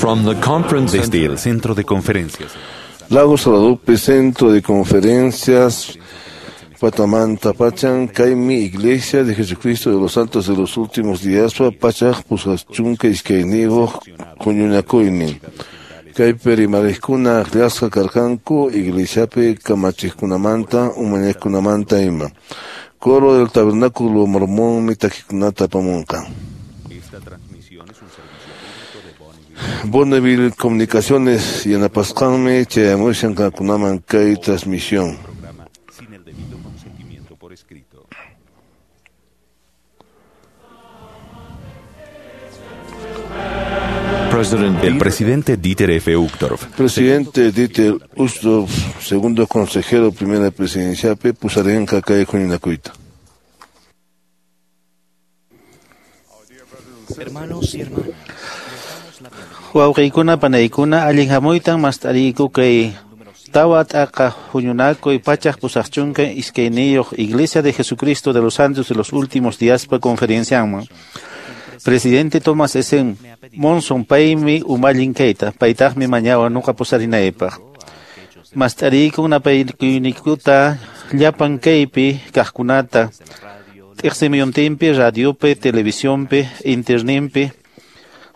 From the conference Desde el centro de conferencias. Lago Salado, Centro de Conferencias, Patamanta Pachan, Kaymi, Iglesia de Jesucristo de los Santos de los Últimos Días, Pachaj, Pusachunka, Iskaynigo, Huñunakoynin. Kaypi rimariqkuna akllasqa karqanku iglesiapi kamachiqkunamanta umalliqkunamanta ima. Coro del Tabernáculo Mormónmi takikunata apamunqa. Bonneville Comunicaciones yanapasqanmi chayamushan qankunaman kay transmisión. Sin el debido consentimiento por escrito. President El presidente Dieter F. Uchtdorf. Presidente Dieter Uchtdorf, segundo consejero primera presidenciapi pusarinqa kay huñunakuyta. Hermanos y hermanas, Wawqiykuna panaykuna allin hamuytan mast'ariyku kay tawa t'aqa huñunakuy pachaq pusaqchunka iskayniyuq Iglesia de Jesucristo de los Santos de los Últimos Díaspa conferencianman. Presidente Thomas S. Monson paymi umallin kayta, paytaqmi mañawan nuqa pusarinaypaq. Mast'ariykun napaykuynikuyta llapan kaypi kaqkunata, t'iksimiyuntinpi, radiopi, televisionpi, internetpi,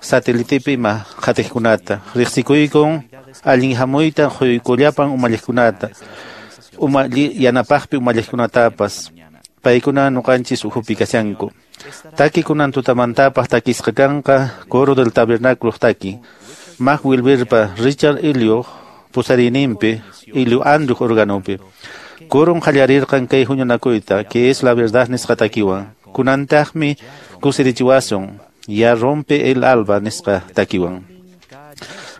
satelitepi ima qhatiqkunata. Riqsikuykun allin hamuyta quykullapan umalliqkunata, umalli yanapaqpi umalliqkunatapas. Paykuna nuqanchis ukhupi kashanku. Taki kunan tutamantapaq takisqa kanqa Coro del Tabernáculo taki. Mac Wilberpa Richard Elio pusarininpi, Elio Andrew organopi. Coron qallarirqan kay huñunakuyta, que es la verdad nisqa takiwan. Kunantaqmi kusirichiwasun, ya rompe el alba nisqa takiwan.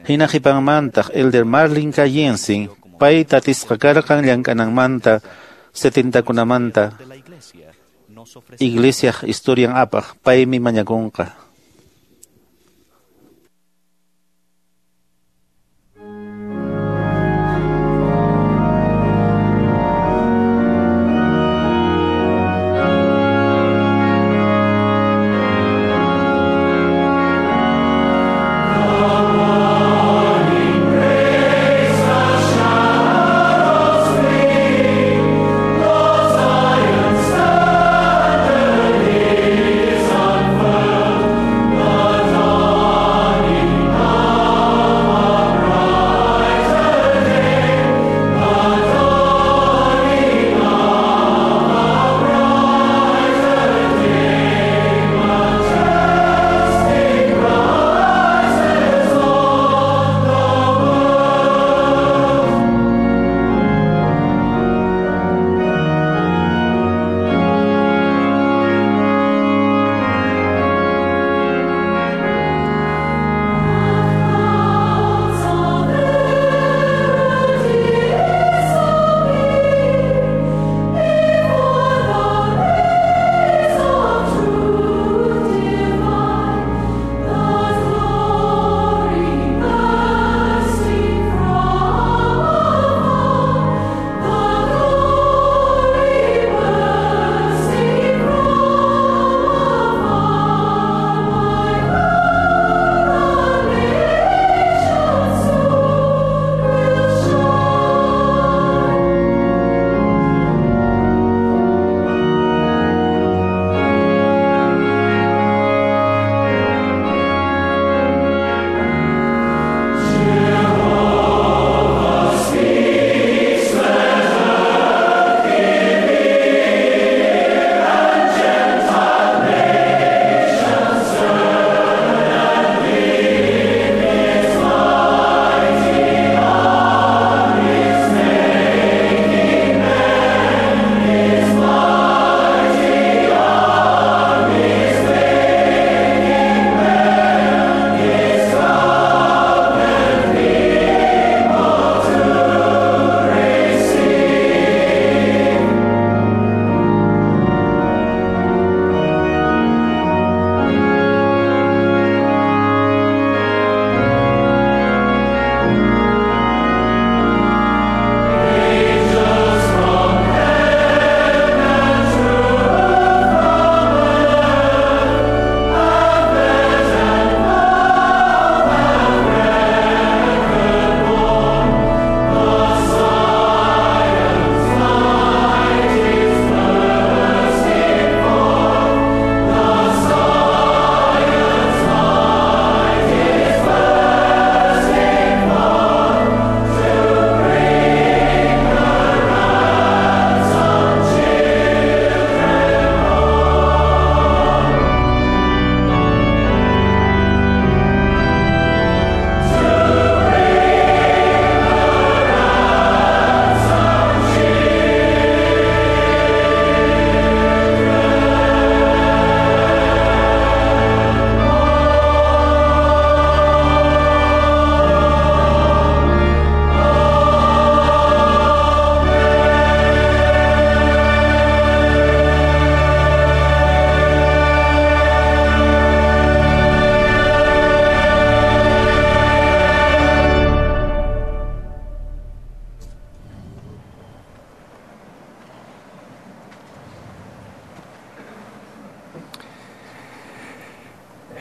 Hina qhipanmantaq Elder Marlin K. Jensen, pay tatisqa karqan llank'ananmanta, 70kunamanta, Iglesia historian apaq, paymi mañakunqa.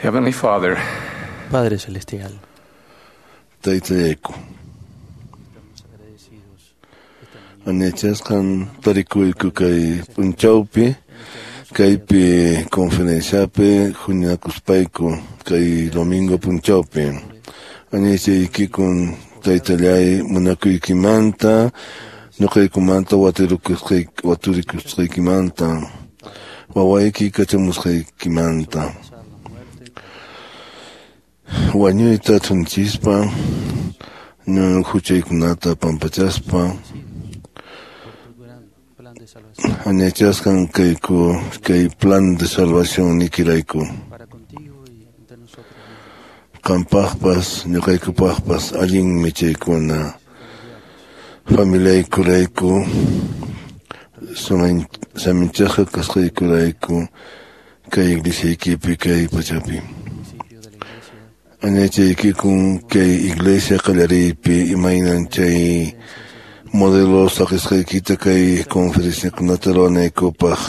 Heavenly Father, Padre Celestial, Taytallayku. Añachasqan tarikuyku kay p'unchawpi, kaypi conferenciapi huñunakuspayku kay domingo p'unchawpi. Añachaykikun taytallay munakuykimanta, ñuqaykumanta waturikusqaykimanta, wawayki kachamusqaykimanta. Wañuyta thunchispa, huchaykunata pampachaspa, añachasqan kayku kay plan de salvación nikirayku. Qampaqpas, ñuqaykupaqpas allinmi chaykuna. Familiaykurayku, saminchasqa kasqaykurayku kay iglesiaykipi kay pachapi. Añachaykikun kay iglesia qallariypi imaynan chay modelo saqisqaykita kay conferenciakunata ruwanaykupaq,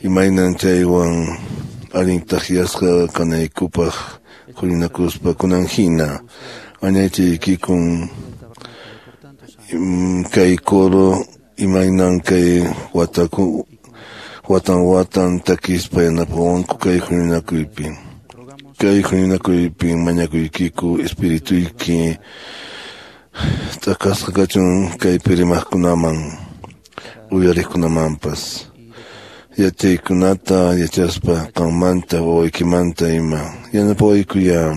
imaynan chaywan allin takyasqa kanaykupaq huñunakuspa kunan hina. Añachaykikun kay coro imaynan kay watan watan takispa yanapawanku kay huñunakuypi. Kay huñunakuypi mañakuykiku espirituyki t'akasqa kachun kaypi rimaqkunaman uyariqkunamanpas. Yachaykunata yachaspa qammanta wawaykimanta ima yanapawaykuya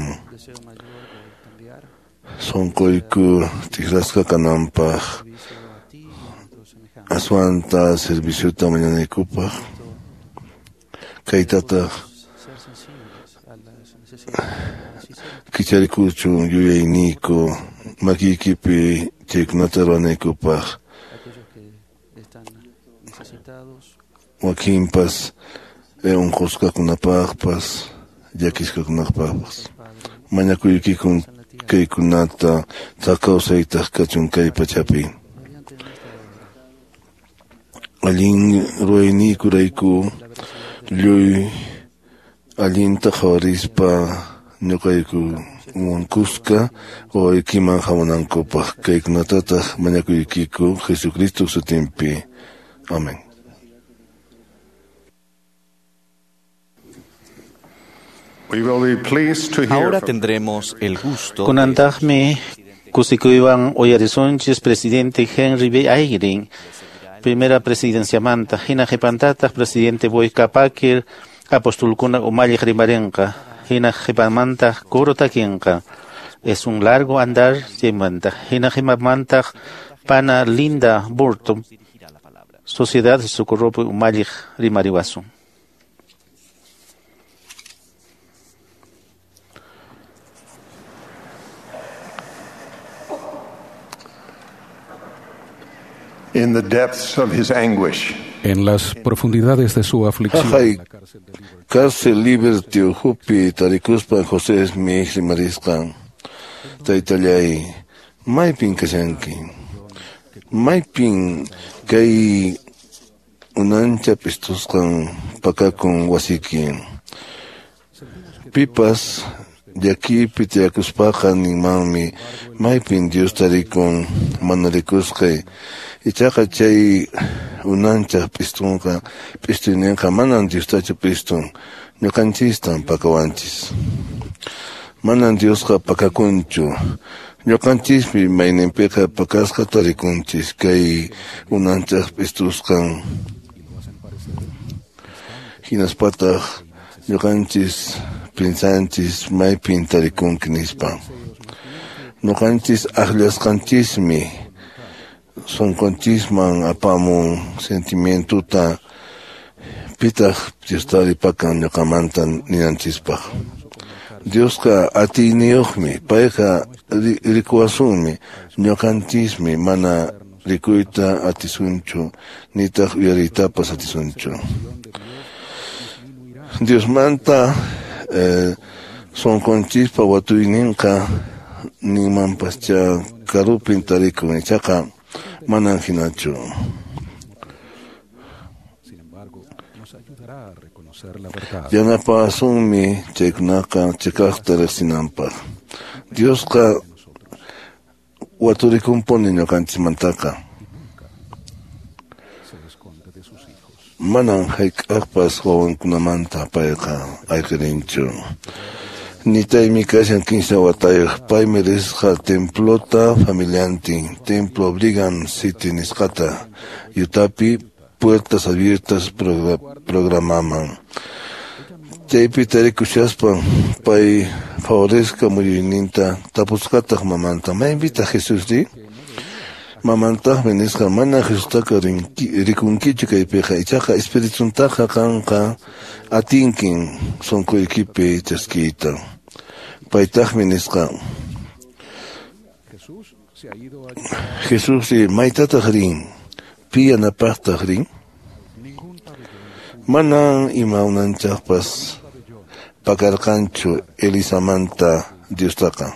sunquyku t'ikrasqa kananpaq aswanta serviciota mañanaykupaq kaytataq kicharikuchun yuyayniyku makiykipi chaykunata ruwanaykupaq wakinpas unqusqakunapaqpas llakisqakunapaqpas mañakuykikun kaykunata kawsaytaq kachun kay pachapi. Allin ruwayniykurayku lluy allinta qhawarispa ñuqayku wankusqa wawaykiman hamunankupaq kaykunatataq mañakuykiku Jesucristo sutinpi. Amén. We will be pleased to hear Ahora from tendremos el gusto Kunantaqmi kusikuywan uyarisunchis presidente Henry B. Eyring, primera presidenciamanta, hina qhipantataq presidente Boyka Packer, apostulkuna umalliq rimarinqa, hina qhipamantaq coro takinqa. Es un largo andar chaymanta, hina qhipamantaq pana Linda Burton, Sociedad de Socorropi umalliq rimariwasun. In the depths of his anguish, En las profundidades de su aflicción, Jajay, cárcel Liberty uhupi tarikuspa José Smith rimarisqan. Taytallay, maypin kashanki? Maypin kay unancha pistusqan pakakun wasiki? Pipas llakipi tiyakuspaqa ninmanmi maypin Dios tarikun mana rikusqay. Ichaqa chay unanchaq pistunqa pistuyninqa manan Diostachu pistun, ñuqanchistan pakawanchis. Manan Diosqa pakakunchu. Ñuqanchismi mayninpiqa pakasqa tarikunchis kay unanchaq pistusqan. Hinaspataq ñuqanchis pinsanchis maypin tarikunki nispa. Ñuqanchis akllasqanchismi sunqunchisman apamun sentimientuta pitaq Diostari pakan ñuqamanta ninanchispaq. Diosqa atiyniyuqmi, payqa rikuwasunmi, ñuqanchismi mana rikuyta atisunchu, nitaq uyariytapas atisunchu. Diosmanta sunqunchispa watuyninqa ninmanpascha karupin tarikun, ichaqa manan hinachu. Yanapasunmi chaykunaqa chiqaqta riqsinanpaq. Diosqa waturikunpuni ñuqanchikmantaqa. Manan hayk'aqpas wawankunamanta payqa ayqirinchu. Nitaymi kashan 15 watayuq, paymi risqa templota familiantin, Templo Brigham City nisqata, Utapi Puertas Abiertas programaman. Chaypi tarikushaspan pay favoresqa muyuyninta tapusqataq mamanta, maypitaq Jesusri? Mamantaqmi nisqa, mana Jesustaqa rikunkichu kaypiqa, ichaqa espirituntaqa qanqa atinkin sunquykipi chaskiyta. Paytaqmi nisqa, Jesusri maytataq rin? Pi yanapaqtaq rin? Manan ima unanchaqpas pakarqanchu Elisamanta Diostaqa.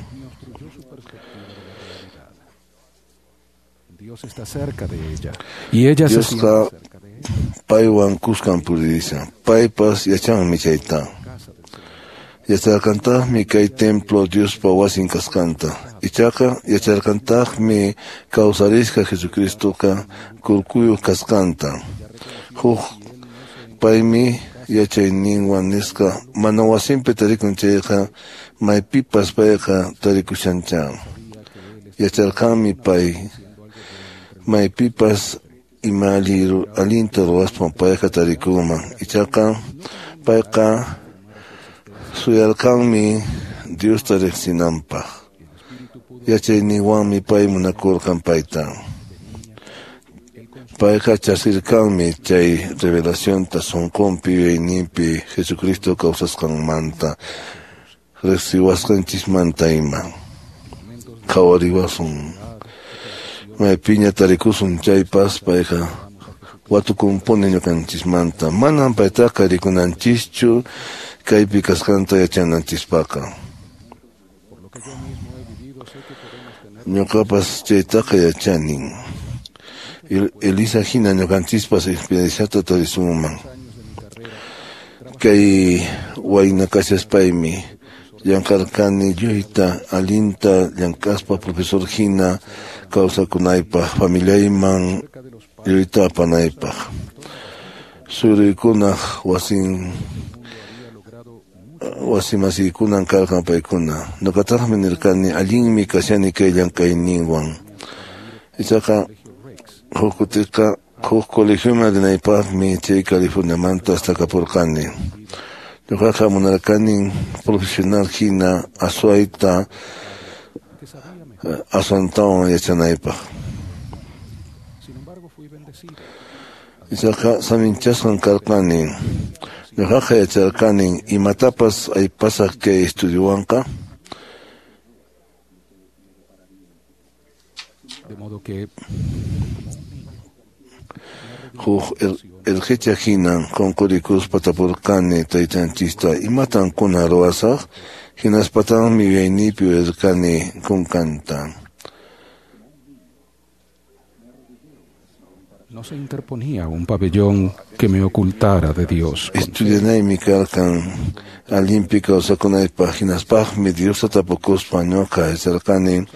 Diosqa paywan kuskan puririshan, paypas yachanmi chayta. Yacharqantaqmi kay templo Diospa wasin kasqanta. Ichaqa yacharqantaqmi kawsarisqa Jesucristoqa kurkuyuq kasqanta. Huk paymi yachayninwan nisqa mana wasinpi tarikun chayqa maypipas payqa tarikushancha. Yacharqanmi pay maypipas ima allinta ruwaspan payqa tarikunman. Ichaqa payqa suyarqanmi Diosta riqsinanpaq. Yachayninwanmi pay munakurqan payta. Payqa chaskirqanmi chay revelacionta sunqunpi yuyayninpi Jesucristo kawsasqanmanta riqsiwasqanchismanta ima. Qhawariwasun maypiña tarikusun chaypas payqa watukunpuni ñuqanchismanta. Manan paytaqa rikunanchischu kaypi kasqanta yachananchispaqqa. Ñuqapas chaytaqa yachanin. Elisa hina ñuqanchispas experienciata tarisunman. Kay wayna kashaspaymi llamk'arqani lluyta allinta llamk'aspa profesor hina kawsakunaypaq, familiayman lluyta apanaypaq. Suruykunaq wasimasiykunan karqan paykuna. Ñuqataqmi nirqani allinmi kashani kay llamk'ayninwan. Ichaqa huk kutiqa huk colegioman rinaypaqmi chay Californiamanta astakapurqani. Ñuqaqa munarqanin profesional hina aswayta aswantawan yachanaypaq. Ichaqa saminchasqan karqani. Ñuqaqa yacharqanin imatapas aypasaq kay estudiowanqa. Huk irqicha hinan qunqurikuspa tapurqani taytanchista, imatan kunan ruwasaq? Hinaspataqmi yuyayniypi uyarqani kunkanta. No se interponía un pabellón que me ocultara de Dios. Estudianaymi karqan allinpi kawsakunaypaq, hinaspaqmi Diosta tapukuspa ñuqa yacharqani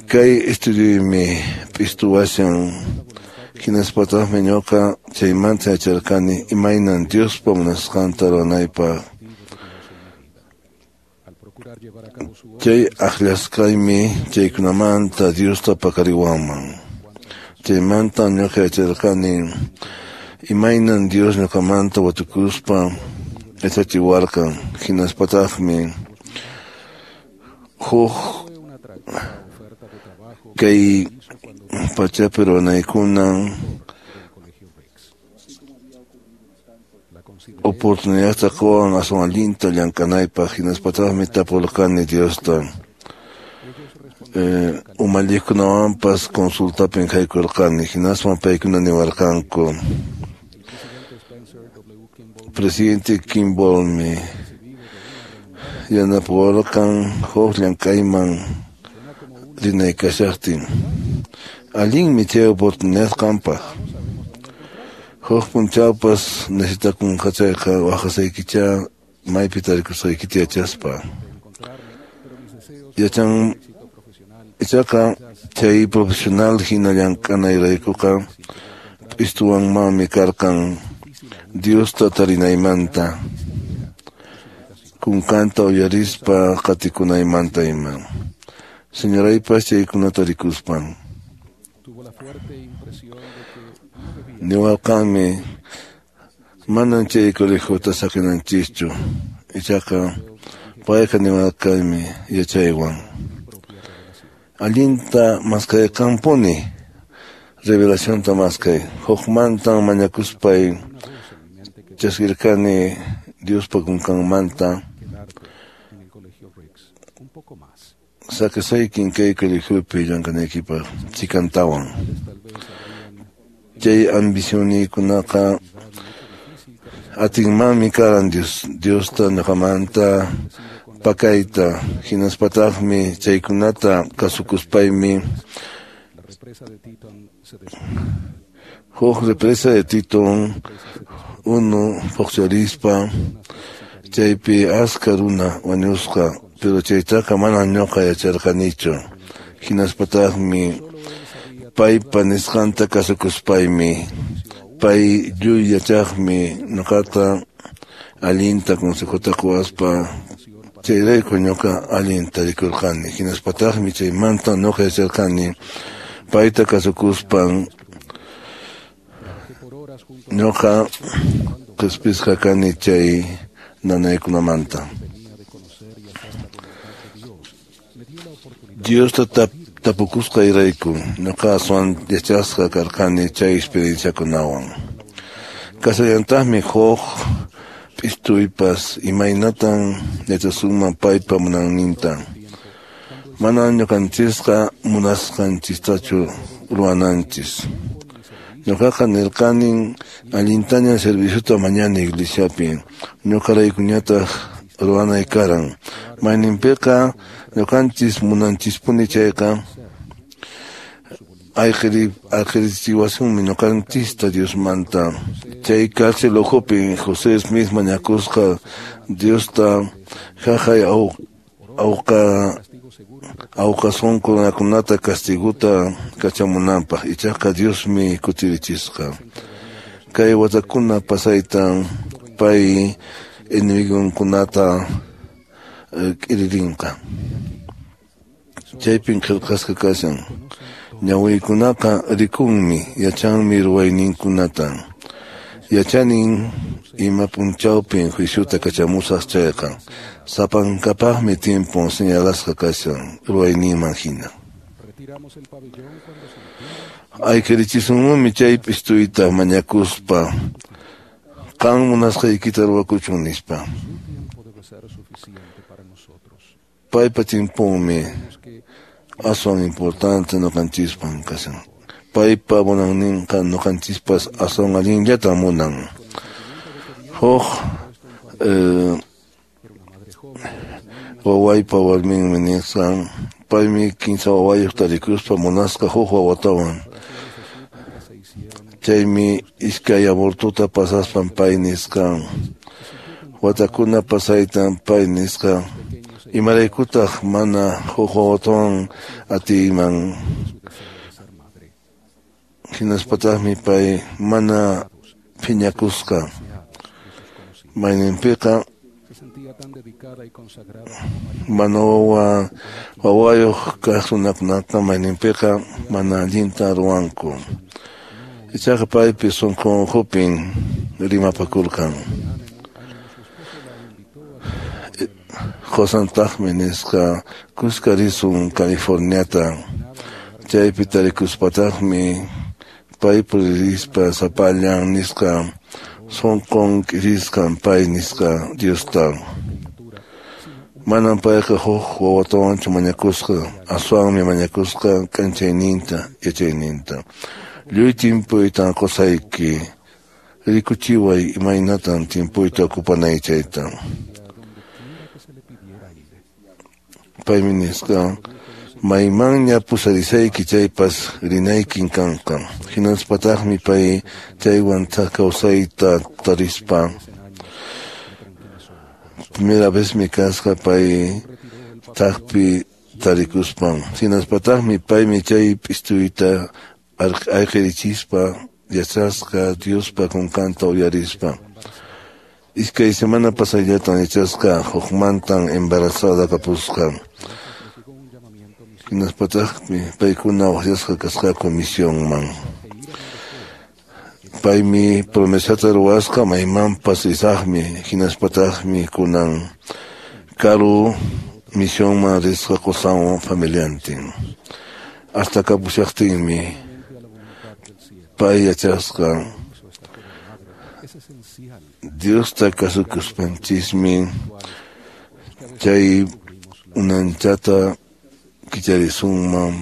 kay estudioymi p'istuwashan. Hinaspataqmi ñuqa chaymanta yacharqani imaynan Diospa munasqanta ruwanaypaq. Chay akllasqaymi chaykunamanta Diosta paqariwanman. Chaymanta ñuqa yacharqani imaynan Dios ñuqamanta watukuspa yachachiwarqan. Hinaspataqmi huk kay pachapi ruwanaykunan oportunidadta quwan aswan allinta llamk'anaypaq. Hinaspataqmi tapurqani Diosta. Umalliqkunawanpas consultapin haykurqani, hinaspan paykuna niwarqanku. Presidente Kimballmi yanapawarqan huk llamk'ayman rinaykashaqtin. Allinmi chay oportunidad qampaq. Huk p'unchawpas necesitakunqa chayqa waqasaykicha maypi tarikusqaykita yachaspa. Yachan ichaqa chay profesional hina llank'anayraykuqa p'istuwanmanmi karqan Diosta tarinaymanta, kunkanta uyarispa qatikunaymanta ima. Señoraypas chaykunata rikuspan niwarqanmi manan chay colegiota saqinanchischu, ichaqa payqa niwarqanmi yachaywan. Allinta maskayqanpuni revelacionta maskay, hukmantan mañakuspay chaskirqani Diospa kunkanmanta saqisaykin kay colegiopi llank'anaykipaq chikantawan. Chay ambicioniykunaqa atinmanmi karan Diosta ñuqamanta pakayta, hinaspataqmi chaykunata kasukuspaymi huk represa de Titón unu phuqcharispa chaypi aska runa wañusqa, pero chaytaqa mana ñuqa yacharqanichu. Hinaspataqmi paypa nisqanta kasukuspaymi pay lluy yachaqmi ñuqata allinta consejota quwaspa chayrayku ñuqa allin tarikurqani. Hinaspataqmi chaymanta ñuqa yacharqani payta kasukuspan ñuqa qhispisqa kani chay nanaykunamanta. Diosta tapukusqayrayku ñuqa aswan yachasqa karqani chay experienciakunawan. Kasallantaqmi huk p'istuypas imaynatan yachasunman paypa munayninta. Manan ñuqanchisqa munasqanchistachu ruwananchis. Ñuqaqa nirqanin allintaña serviciota mañani iglesiapi, ñuqaraykuñataq ruwanay karan. Mayninpiqa ñuqanchis munanchispuni chayqa ayqirichiwasunmi ñuqanchista Diosmanta. Chay cárcel ukhupi José Smith mañakusqa Diosta haqay awqa sunqu runakunata castiguta kachamunanpaq, ichaqa Diosmi kutirichisqa. Kay watakuna pasaytan pay enemigonkunata k'iririnqa. Chaypin qillqasqa kashan. Ñawiykunaqa rikunmi, yachanmi ruwayninkunata. Yachanin ima p'unchawpin juiciota kachamusaq chayqa. Sapankapaqmi tiempon señalasqa kashan ruwayninman hina. Ayqirichisunmanmi chay p'istuyta mañakuspa qan munasqaykita ruwakuchun nispa. Paypa tiemponmi aswan importante ñuqanchispan kashan. Paypa munayninqa ñuqanchispas aswan allinllatan munan. Huk wawaypa warminmi nisqan paymi kinsa wawayuq tarikuspa munasqa huk wawatawan. Chaymi iskay abortota pasaspan pay nisqan. Watakuna pasaytan pay nisqa imaraykutaq mana huk wawatawan atiyman. Hinaspataqmi pay mana phiñakusqa. Mayninpiqa mana wawayuq kaq runakunaqa mayninpiqa mana allinta ruwanku. Ichaqa paypi sunqun ukhupin rimapakurqan. Qusantaqmi nisqa kuska risun Californiata. Chaypi tarikuspataqmi pay puririspa sapallan nisqa sunqun k'irisqan pay nisqa Diosta. Manan payqa huk wawatawanchu mañakusqa, aswanmi mañakusqa k'anchayninta, yachayninta. Lluy timpuytan qusayki, rikuchiway imaynatan timpuyta ocupanay chayta. Paymi nisqa Maymanña pusarisayki chaypas rinaykin kanqa. Hinaspataqmi pay chaywan thak kawsayta tarispa. Primera vez mi kasqa pay thakpi tarikuspan. Hinaspataqmi paymi chay p'istuyta ayqirichispa yachasqa Diospa kunkanta uyarispa. Iskay semana pasayllatan yachasqa hukmantan embarazada kapusqa. Hinaspataqmi paykuna waqyasqa kasqaku misionman. Paymi promesata ruwasqa maymanpas risaqmi, hinaspataqmi kunan karu misionman risqa qusanwan familiantin. Hasta kapushaqtinmi pay yachasqa Diosta kasukuspanchismi chay unanchata kicharisunman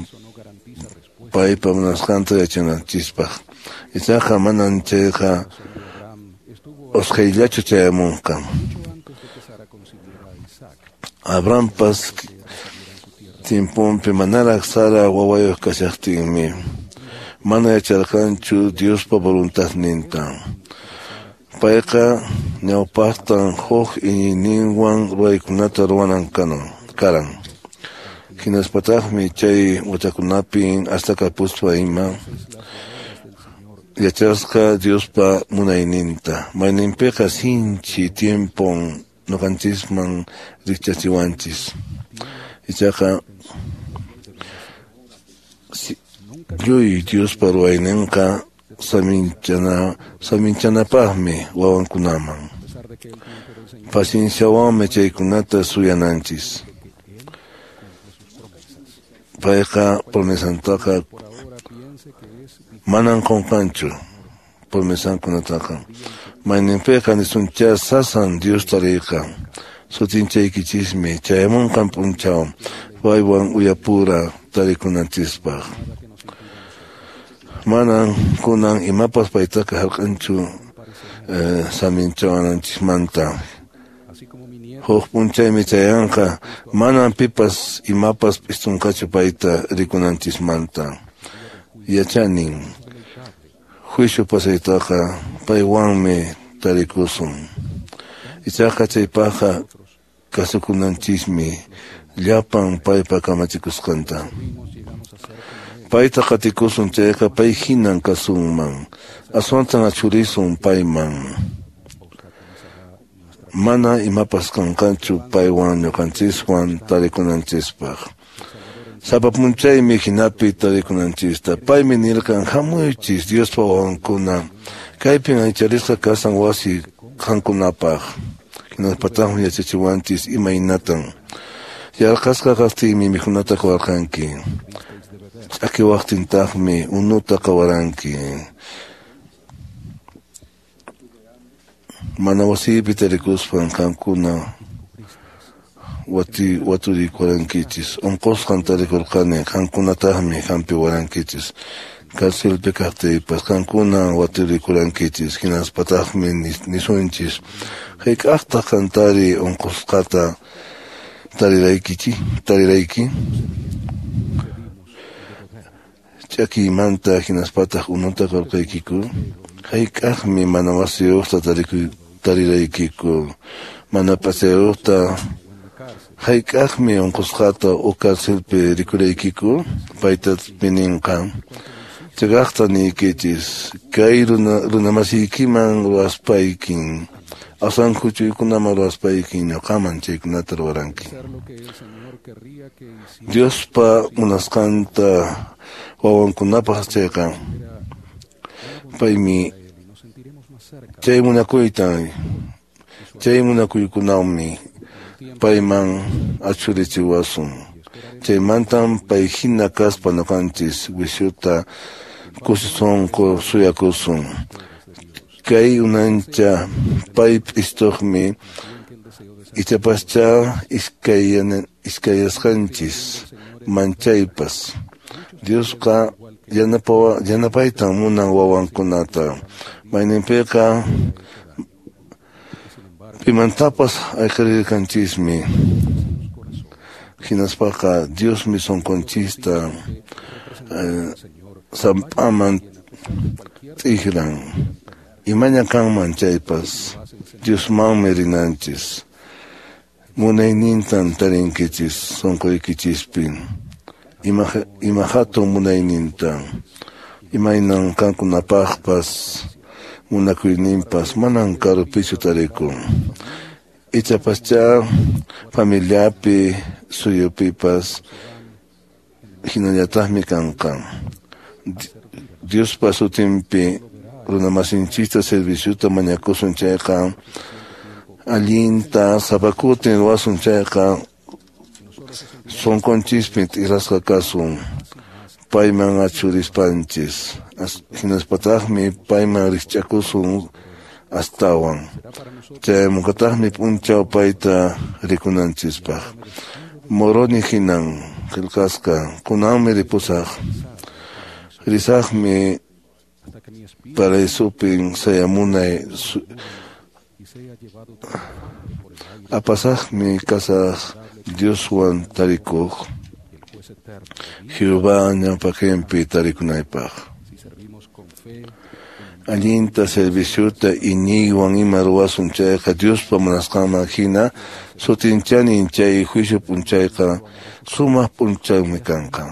paypa munasqanta yachananchispaq. Ichaqa manan chayqa usqhayllachu chayamunqa. Abrahampas tiemponpi manaraq Sara wawayuq kashaqtinmi mana yacharqanchu Diospa voluntadninta. Payqa ñawpaqtan huk iñiyninwan ruwaykunata ruwanan karan. Hinaspataqmi chay watakunapi hasta kapuspa ima yachasqa Diospa munayninta. Mayninpiqa sinchi tiempon ñuqanchisman rikchachiwanchis. Ichaqa lluy Diospa ruwayninqa saminchanapaqmi wawankunaman. Pacienciawanmi chaykunata suyananchis. Payqa promesantaqa manan qunqanchu promesankunataqa. Mayninpiqa nisunchá sasan Diosta riyqa. Sutinchaykichismi chayamunqan p'unchaw paywan uyapura tarikunanchispaq. Manan kunan imapas paytaqa hark'anchu saminchawananchismanta. Huk p'unchaymi chayanqa manan pipas imapas p'istunqachu payta rikunanchismanta. Yachanin juicio pasaytaqa paywanmi tarikusun. Ichaqa chaypaqqa kasukunanchismi llapan paypa kamachikusqanta. Payta qatikusun chayqa pay hinan kasunman. Aswantan achurisun payman. Mana imapas kanqanchu paywan ñuqanchiswan tarikunanchispaq. Sapa p'unchaymi hinapi tarikunanchista. Paymi nirqan hamuychis Diospa wawankuna. Kaypin aycharisqa kasan wasi qankunapaq. Hinaspataqmi yachachiwanchis imaynatan. Yarqasqa kaqtinmi mikhunata qawarqanki. Ch'akiwaqtintaqmi unuta qawaranki. Mana wasiypi tarikuspan qamkuna waturikurankichis. Unqusqan tarikurqani qamkunataqmi hampiwarankichis. Carcelpi kaqtiypas qamkuna waturikurankichis. Hinaspataqmi nisunchis. Hayk'aqtaq qantari unqusqata tarirayki? Ch'akiymanta hinaspataq unuta qurqaykiku? Hayk'aqmi mana wasiyuqta tariraykiku? Mana p'achayuqta hayk'aqmi unqusqata u carcelpi rikuraykiku? Payta ninqa. Chayaqta niykichis kay runamasiykiman ruwaspaykin aswan huch'uykunaman ruwaspaykin ñuqaman chaykunata ruwaranki. Diospa munasqanta wawankunapaq chayqa paymi chay munakuykunawmi payman achurichiwasun. Chaymantan pay hina kaspa ñuqanchis wishuta kusisunqu suyakusun. Kay unancha pay p'istuqmi ichapascha iskayasqanchis manchaypas. Diosqa yanapaytan munan wawankunata. Mayninpiqa pimantapas ayqirirqanchismi. Hinaspaqa Diosmi sunqunchista samp'aman t'ikran. Imaña kanman chaypas Diosmanmi rinanchis. Munaynintan tarinkichis sunquykichispi. Ima hatun munayninta. Imaynan qankunapaqpas munakuyninpas manan karupichu tarikun. Ichapaschá familiapi suyupipas hinallataqmi kanqa. Diospa sutinpi runamasinchista serviciota mañakusun chayqa allinta sapakutin ruwasun chayqa sunqunchispin t'ikrasqa kasun payman achurispanchis hinaspataqmi payman rikch'akusun astawan chaymunqataqmi p'unchaw payta rikunanchispaq. Moroni hinan qillqasqa kunanmi ripusaq risaqmi paraisupin sayamunay apasaqmi kasaq Dioswan tarikuq Jehová ñawpaqinpi tarikunaypaq. Allinta serviciota iñiywan ima ruwasun chayqa Diospa munasqanman hina sutinchanin chay juicio p'unchayqa sumaq p'unchaymi kanqa.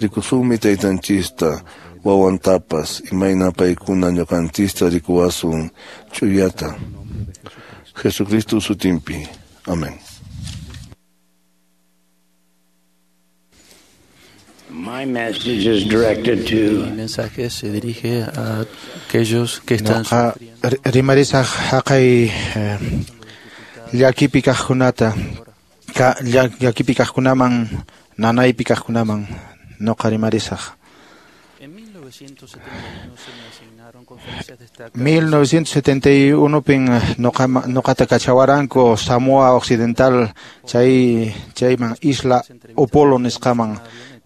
Rikusunmi taytanchista wawantapas imayna paykuna ñuqanchista rikuwasun ch'uyata. Jesucristo sutinpi. Amén. My message is directed to Mi mensaje se dirige a aquellos que están sufriendo. Rimarisaq haqay llakipi kaqkunata, llakipi kaqkunaman, nanaypi kaqkunaman noqa rimarisaq. En 1971 se me asignaron conferencias destacadas. 1971 pin noqata kachawaranku Samoa Occidental chayman Isla Upolu nisqaman.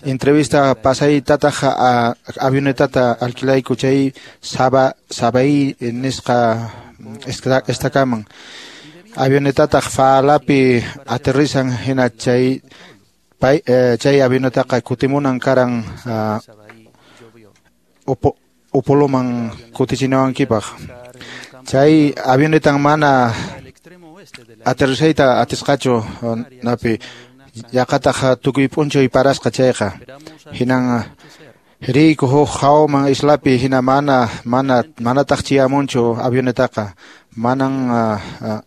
Entrevista pasaytataq avionetata alquilayku chay Sabai nisqa estakaman. Avionetataq Faalapi aterrizan hina chay avionetaqa kutimunan karan Upoluman kutichinawankipaq. Chay avionetan mana aterrizayta atisqachu napi yaqataq tukuy p'unchay parasqa chayqa. Hinan riyku huk hawman islapi hina manataq chiyamunchu avionetaqa.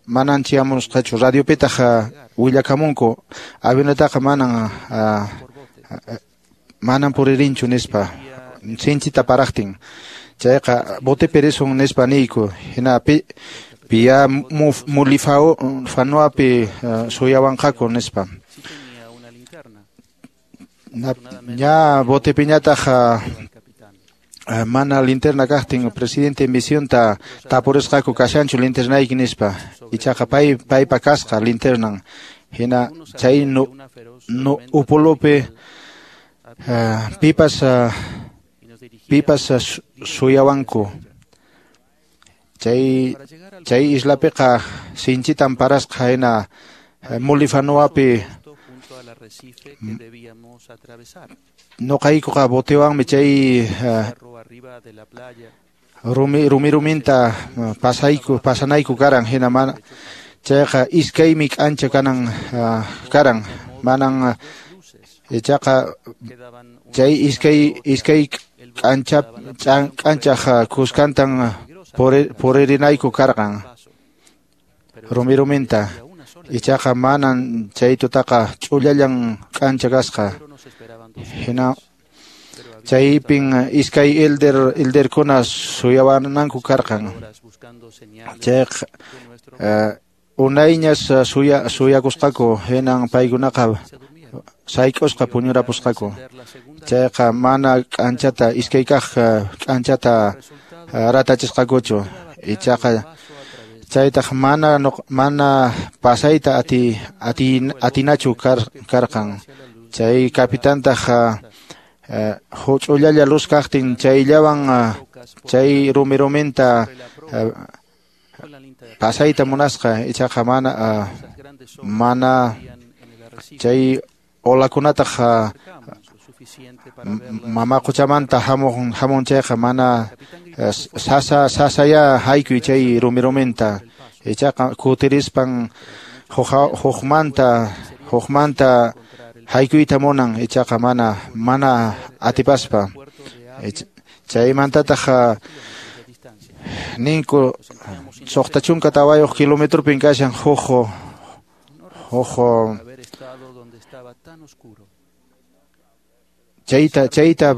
Manan chiyamusqachu radiopitaq willakamunku avionetaqa manan puririnchu nispa sinchita paraqtin. Chayqa botepi risun nispa niyku hina piya mulifanuapi suyawanqaku nispa. Ña botepiñataq mana linterna kaqtin presidente en misionta tapurisqaku kashanchu linternayki nispa. Ichaqa paypa kasqa linternan. Hina chay Upolupi pipas suyawanku. Chay islapiqa sinchitan parasqa hina Mulifanuapi noqaykuqa botewanmi chay rumiruminta pasanayku karan hina mana chayqa iskaymi k'ancha kanan karan manan ichaqa chay iskay k'anchaq kuskantan puririnayku karqan rumiruminta. Ichaqa manan chay tutaqa ch'ullallan k'ancha kasqa. Hina chaypin iskay elderkuna suyawananku karqan. Chayqa unayñas suyakusqaku hinan paykunaqa sayk'usqa puñurapusqaku. Chayqa mana k'anchata iskay kaq k'anchata ratachisqakuchu. Ichaqa chaytaq mana pasayta atinachu karqan. Chay kapitantaq huch'ullalla luz kaqtin chayllawan chay rumiruminta pasayta munasqa. Ichaqa mana Chay olakunataq mama quchamanta hamun chayqa mana sasaya haykuy chay rumi-ruminta. Ichaqa kutirispan hukmanta haykuyta munan, ichaqa mana atipaspa. Chaymantataq ninku 64 kilometropin kashan huk chayta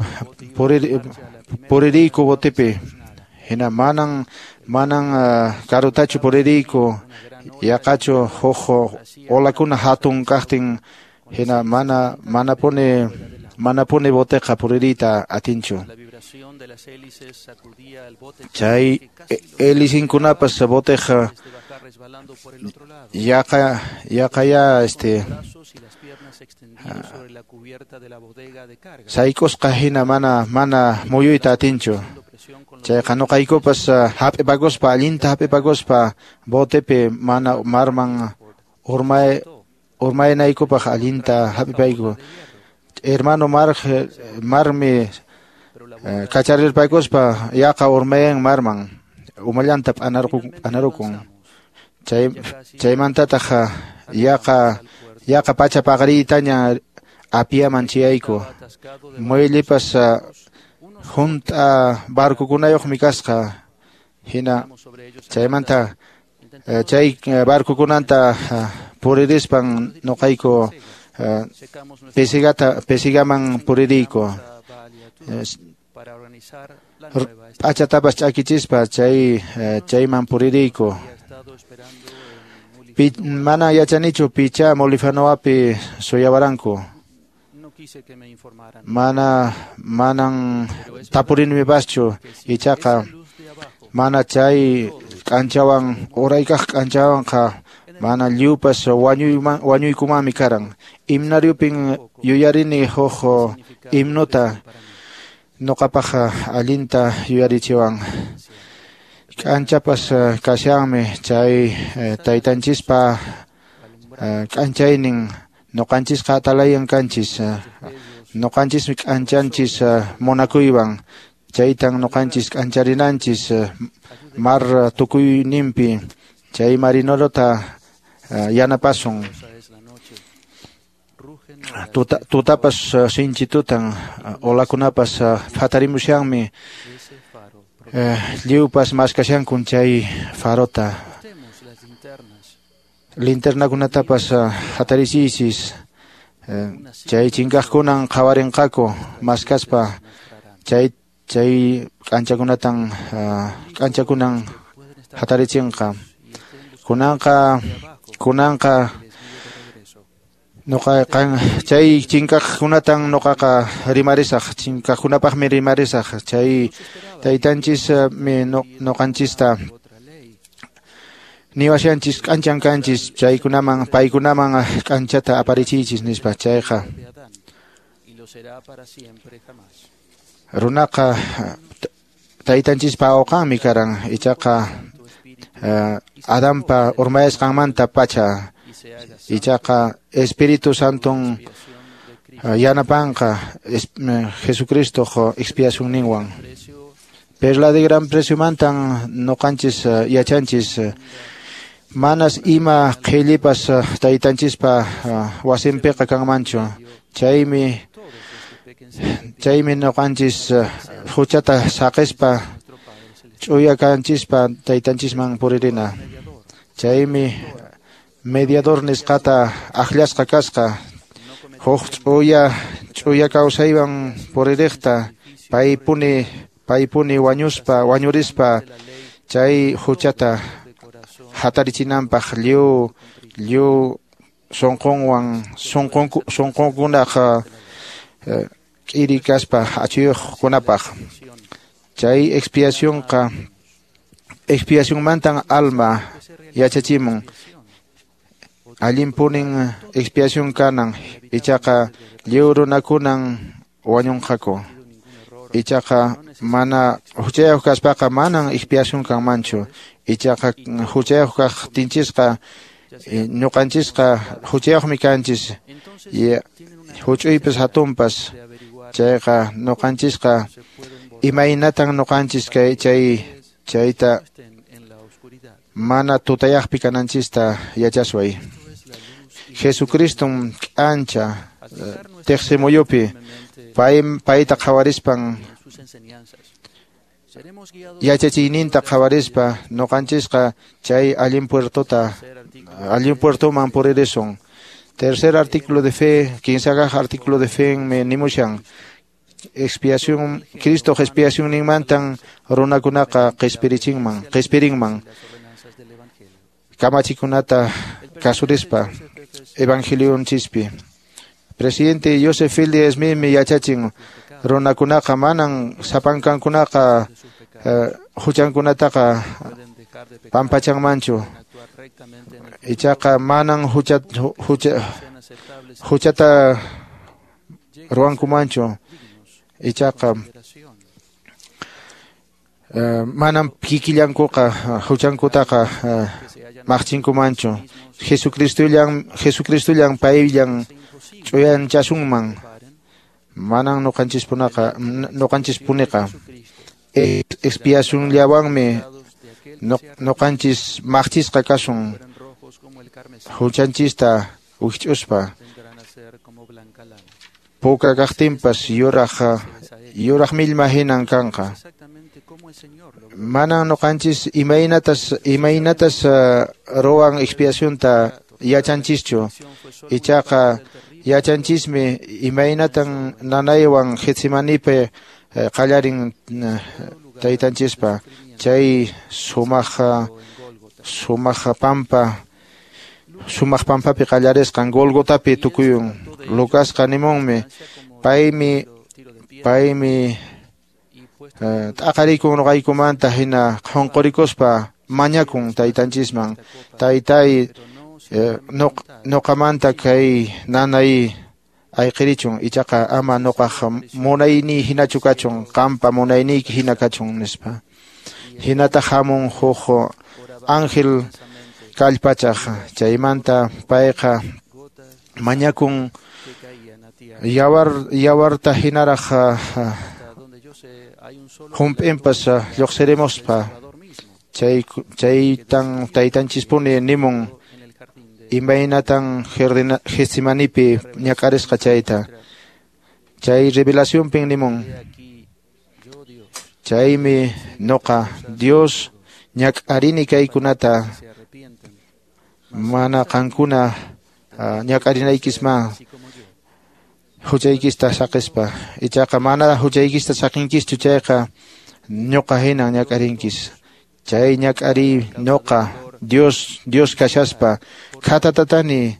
puririyku botepi. Hina manan karutachu puririyku, yaqachu huk olakuna hatun kaqtin, hina manapuni boteqa puririyta atinchu. Chay hélicinkunapas boteqa yaqa sayk'usqa hina mana muyuyta atinchu. Chayqa nuqaykupas hap'ipakuspa, allinta hap'ipakuspa botepi mana marman urmaynaykupaq allinta hap'ipayku. Hermano marmi kacharirpaykuspa yaqa urmayan marman, umallanta p'anarukun. Chaymantataq yaqa pacha paqariytaña Apiaman chiyayku. Muellipas hunt'a barcokunayuqmi kasqa. Hina chaymanta chay barcokunanta puririspan nuqayku Pesigaman puririyku. P'achatapas ch'akichispa chayman puririyku. Mana yachanichu picha Molifanoapi suyawaranku. Manan tapurinmipaschu, ichaqa mana chay k'anchawan uraykaq k'anchawanqa mana lliwpas wañuykumanmi karan. Himnariupin yuyarini huk himnuta nuqapaq allinta yuyarichiwan. K'anchapas kashanmi chay taytanchispa k'anchaynin. Nuqanchisqa atalayan kanchis, nuqanchismi k'anchanchis munakuywan. Chaytan nuqanchis k'ancharinanchis mar tukuyninpi. Chay marinerota yanapasun. Tutapas sinchi tutan, olakunapas hatarimushanmi, lliwpas maskashankun chay farota. Linternakunatapas hatarichinchis, chay chinkaqkunan qhawarinqaku maskaspa, chay k'anchakunan hatarichinqa. Kunanqa nuqa chay chinkaqkunatan nuqaqa rimarisaq, chinkaqkunapaqmi rimarisaq. Chay taytanchis mi nuqanchista niwashanchis k'anchan kanchis, chaykunaman paykunaman k'anchata aparichiychis nispa. Chayqa runaqa taytanchispa awqanmi karan, ichaqa Adanpa urmayasqanmanta pacha, ichaqa Espíritu Santon yanapanqa Jesucristoq expiacionninwan. Perla de gran precio mantan nuqanchis yachanchis manas ima qhillipas taytanchispa wasinpiqa kanmanchu. Chaymi nuqanchis huchata saqispa ch'uya kanchispa taytanchisman puririna. Chaymi mediador nisqata aqllasqa kasqa, huk ch'uya kawsaywan puririqta, paypuni wañurispa chay huchata hatarichinanpaq lliw sunqunwan sunqunkunaq k'iri kaspa achuyuqkunapaq. Chay expiacionmantan alma yachachimun. Allinpunin expiación kanan, ichaqa lliw runakunan wañunqaku. Ichaqa mana huchayuq kaspaqa manan expiación kanmanchu. Ichaqa huchayuq kaqtinchisqa Ñuqanchisqa huchayuqmi kanchis huch'uypas hatunpas chayqa ñuqanchisqa imaynatan ñuqanchis kay chayta mana tutayaqpi kananchista yachasway. Jesucristum k'ancha tiqsimuyupi payta qhawarispan yachachiyninta qhawarispa ñuqanchisqa chay allin puertoman puririsun. Tercer artículo de fe, kinsakaq artículo de fe me nimushan. Expiación, Cristo expiación ninmantan runakunaqa qispirinman. Kamachikunata kasurispa Evangelion chispi. Presidente Joseph Fielding Smithmi yachachin runakunaqa manan sapankankunaqa huchankunataqa pampachanmanchu. Ichaqa manan huchata ruwankumanchu. Ichaqa manam kikillankuqa huchankutaqa maqchinkumanchu. Jesucristollan payllan ch'uyanchasunman. Manan ñuqanchispuniqa expiacionllawanmi ñuqanchis maqchisqa kasun huchanchista wikch'uspa. Puka kaqtinpas yuraq millma hinan kanqa. Manan ñuqanchis imaynatas ruwan expiacionta yachanchischu. Ichaqa yachanchismi imaynatan nanaywan Getsemanipi qallarin taytanchispa. Chay sumaq pampapi qallarisqan Golgotapi tukuyun. Lucasqa nimunmi paymi t'aqarikun ñuqaykumanta hina qhunqurikuspa mañakun taytanchisman. Taytay ñuqamanta kay nanay ayqirichun, ichaqa ama ñuqaq munayniy hinachu kachun, qampa munayniyki hina kachun nispa. Hinataq hamun huk ángel kallpachaq, chaymanta payqa mañakun yawarta hinaraq hump'inpas lluqsirimuspa. Chaytan taytanchispuni nimun imaynatan Getsemanipi ñak'arisqa chayta. Chay revelacionpin nimun chaymi ñuqa Dios ñak'arini kaykunata mana qankuna ñak'arinaykisma huchaykista saqispa. Ichaqa mana huchaykista saqinkischu chayqa ñuqa hinan ñak'arinkis. Chay ñak'ariy ñuqa Dios kashaspa khatatatani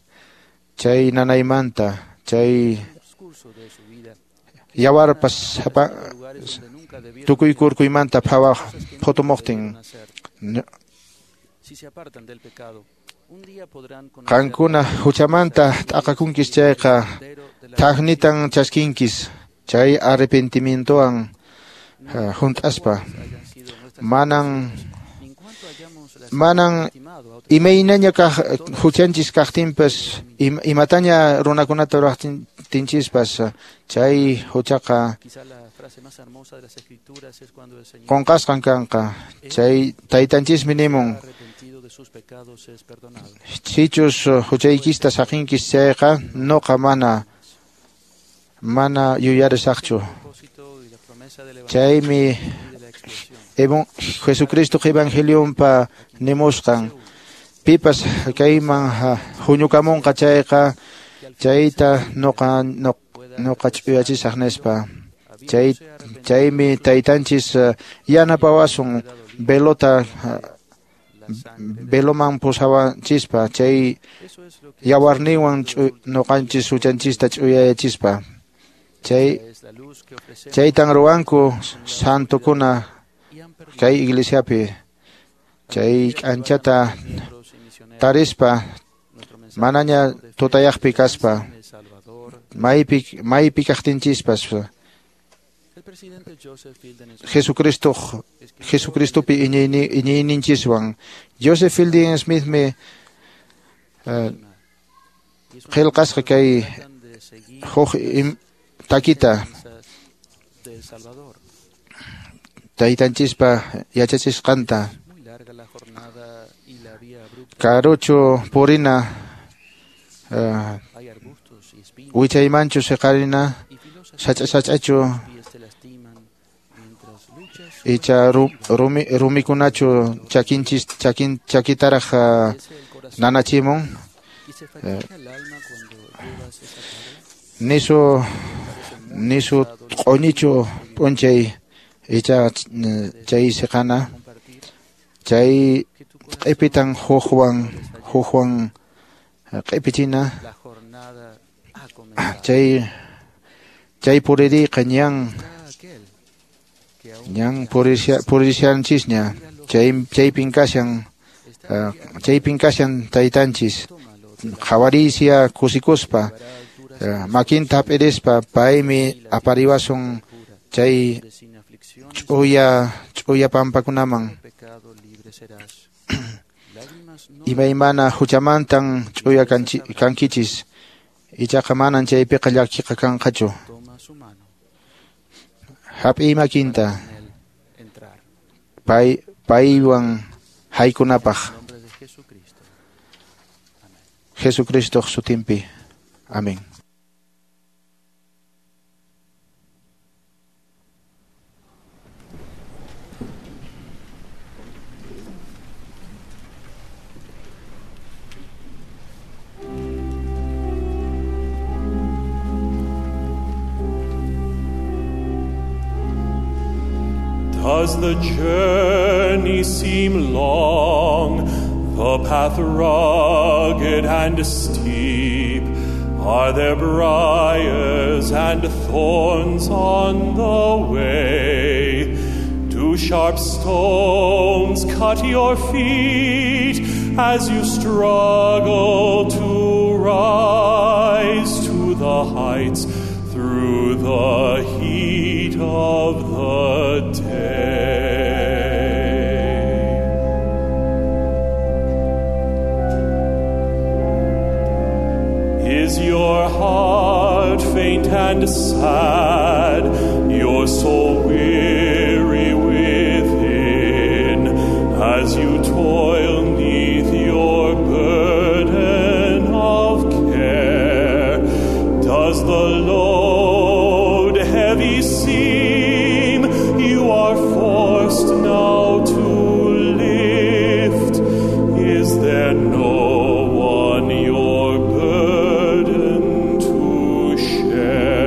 chay nanaymanta, chay yawarpas tukuy kurkuymanta phawaq phutumuqtin. Qankuna huchamanta t'aqakunkis chayqa thaqnitan chaskinkis chay arrepentimientowan hunt'aspa. Manan imaynaña kaq huchanchis kaqtinpas imataña runakunata ruwaqtinchispas chay huchaqa qunqasqan kanqa. Chay taytanchismi nimun sichus huchaykista saqinkis chayqa ñuqa mana yuyarisaqchu. Chaymi Jesucristo evangelionpa nimusqan pipas kayman huñukamunqa chayqa chayta ñuqa ch'uyachisaq nispa. Chaymi taytanchis yanapawasun velota veloman pusawanchispa chay yawarninwan ñuqanchis huchanchista ch'uyayachispa. Chaytan ruwanku santokuna kay iglesiapi. Chay k'anchata tarispa manaña tutayaqpi kaspa maypi kaqtinchispas Jesucristopi iñiyninchiswan. Joseph Fielding Smithmi Qillqasqa kay huk takita taytanchispa yachachisqanta karuchu purina wichaymanchu siqarina sach'a-sach'achu icha rumikunachu chakinchis chakitaraq nanachimun nisu q'uñichu p'unchay icha chay siqana chay q'ipitan hukwan q'ipichina chay puririyqa ñan purishanchisña chaypin kashan taytanchis qhawariysiya kusikuspa makinta hap'irispa paymi apariwasun chay ch'uya pampakunaman imaymana huchamantan ch'uya kankichis ichaqa manan chaypiqa llakiqa kanqachu hap'iy makinta paywan haykunapaq Jesucristoq sutinpi. Amén. Does the journey seem long, the path rugged and steep? Are there briars and thorns on the way? Do sharp stones cut your feet as you struggle to rise to the heights through the heat of the day? Is your heart faint and sad, your soul weary within, as you toil 'neath your burden of care? Does the load heavy seem you are forced now to lift? Is there no one your burden to share?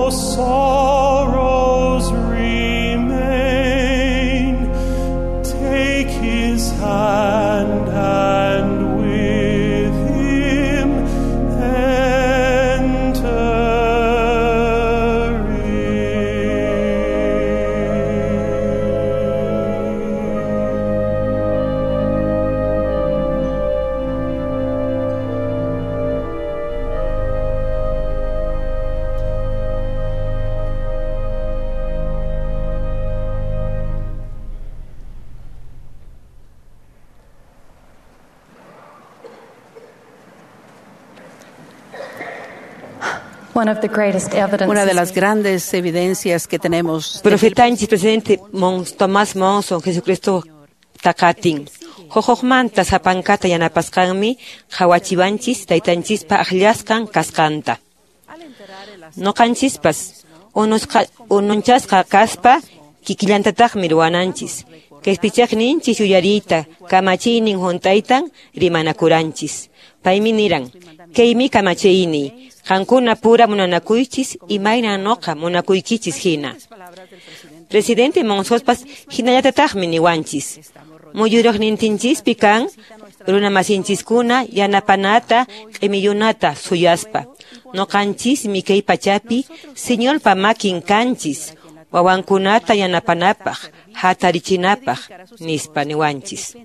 No sorrows remain. Take his hand and with him enter Una de las grandes evidencias que tenemos. Profetanchis presidente Mons Tomás Monson Jesucristo taqatin. Huqhumanta sapankata yanapasqanmi qhawachiwanchis taytanchispa akllasqan kasqanta. Nuqanchispas ununchasqa kaspa kikillantataqmi ruwananchis. Qhispichaqninchis yuyariyta kamachiynin hunt'aytan rimanakuranchis. Paymi niran, kaymi kamachiyniy, qankuna pura munanakuychis imayna nuqa munakuykichis hina. Presidente Monsospas hinallatataqmi niwanchis. Muyuriqnintinchispi kan runamasinchiskuna yanapanata q'imiyunata suyaspa. Nuqanchismi kay pachapi Señorpa makin kanchis, wawankunata yanapanapaq, hatarichinapaq, nispa niwanchis.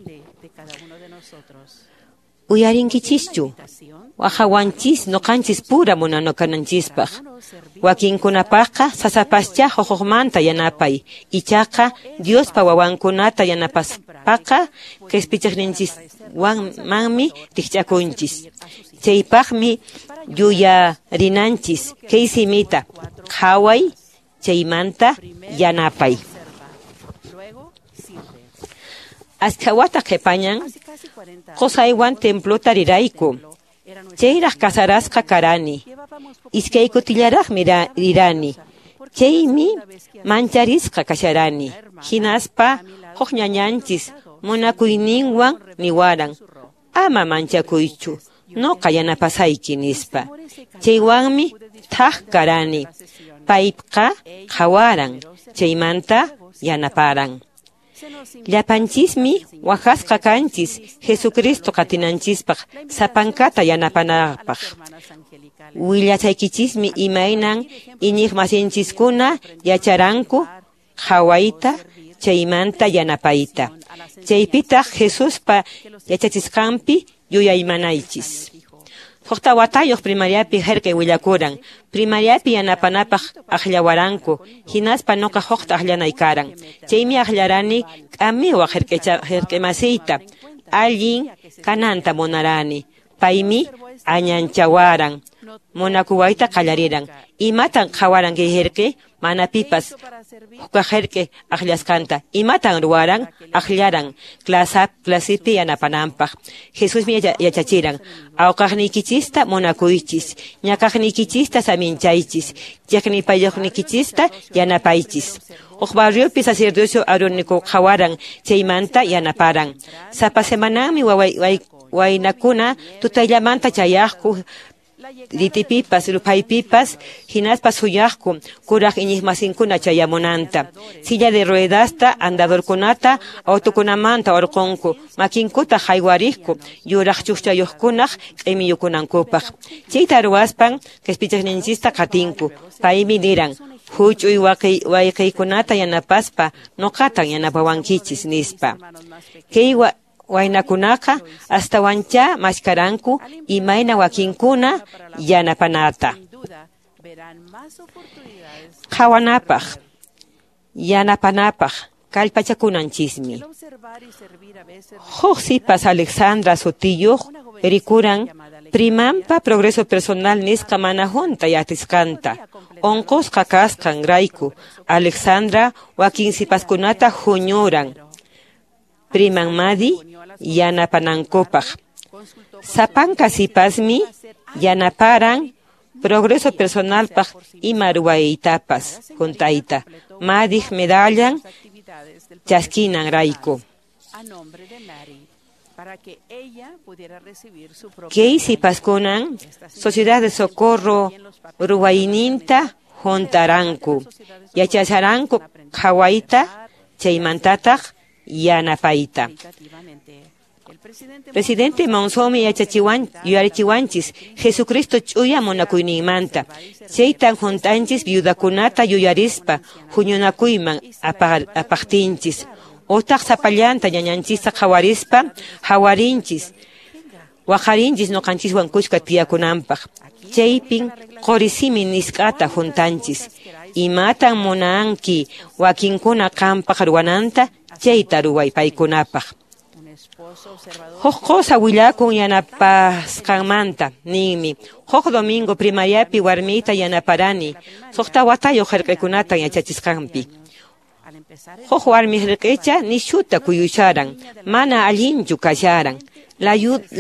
Uyarinkichischu, wahawanchis nuqanchis pura munanakunanchispaq. Wakinkunapaqqa sasapascha huqhumanta yanapay, ichaqa Diospa wawankunata yanapaspaqa qhispichiqninchiswanmanmi rikch'akunchis. Chaypaqmi yuyarinanchis kay simita, qhaway chaymanta yanapay. Askha wata qhipañan qusaywan templota rirayku. Chayraq kasarasqa karani. Iskay kutillaraqmi rirani. Chaymi mancharisqa kasharani. Hinaspa huk ñañanchis munakuyninwan niwaran. Ama manchakuychu, nuqa yanapasayki nispa. Chaywanmi thak karani. Payqa qhawaran, chaymanta yanaparan. Llapanchismi waqasqa kanchis Jesucristo qatinanchispaq sapankata yanapanapaq. Willachaykichismi imaynan iñiqmasinchiskuna yacharanku qhawayta chaymanta yanapayta. Chaypitaq Jesuspa yachachisqanpi yuyaymanaychis. Suqta watayuq primariapi herkay willakuran. Primariapi yanapanapaq akllawaranku, hinaspa nuqa huqta akllanay karan. Chaymi aklarani k'amiwaq herk'emasiyta, allin kananta munarani. Paymi añanchawaran, munakuwayta qallariran. Imatan qhawaran kay herk'i? Mana pipas hukaq herk'i akllasqanta. Imatan ruwaran? Akllaran clasipi yanapananpaq. Jesusmi yachachiran, awqaqniykichista munakuychis, ñakaqniykichista saminchaychis, chiqnipayuqniykichista yanapaychis. Huk barriopi sacerdocio Aarónico qhawaran, chaymanta yanaparan. Sapa semananmi waynakuna tutayllamanta chayaqku ritipipas, ruphaypipas, hinaspa suyaqku kuraq iñiqmasinkuna chayamunanta. Silla de ruedasta, andadorkunata, autokunamanta urqunku, makinkuta haywariqku, yuraq chukchayuqkunaq q'imiyukunankupaq. Chayta ruwaspan qhispichiqninchista qatinku. Paymi niran, huch'uy wayqiykunata yanapaspa, nuqatan yanapawankichis nispa. Kay waynakunaqa astawancha mashkaranku imayna wakinkuna yanapanata. Qhawanapaq, yanapanapaq, kallpachakunanchismi. Huk sipas Alexandra sutiyuq rikuran primanpa progreso personal nisqa mana hunt'ay atisqanta. Unqusqa kasqan rayku Alexandra wakin sipaskunata huñuran priman Madi yanapanankupaq. Sapanka sipasmi yanaparan progreso personalpaq ima ruwaytapas hunt'ayta. Madiq medallan chaskinan rayku. Kay sipaskunan Sociedad de Socorro ruwayninta Hunt'aranku, yachasharanku qhawayta, chaymantataq yanapayta. Presidente Monsonmi yuyarichiwanchis Jesucristo ch'uya munakuyninmanta. Chaytan hunt'anchis viudakunata yuyarispa huñunakuyman apaqtinchis. Utaq sapallanta ñañanchista qhawarispa hawarinchis. Waqarinchis ñuqanchiswan kushka tiyakunanpaq. Chaypin qurisimi nisqata huntanchis. Imatan munanki wakinkuna qampaq ruwananta chayta ruway paykunapaq. Huk qusa willakun yanapasqanmanta ninmi. Huk domingo primariapi warmiyta yanaparani suqta watayuq hirq'ikunata yachachisqanpi. Huk warmi hirq'icha nishuta kuyusharan, mana allinchu kasharan.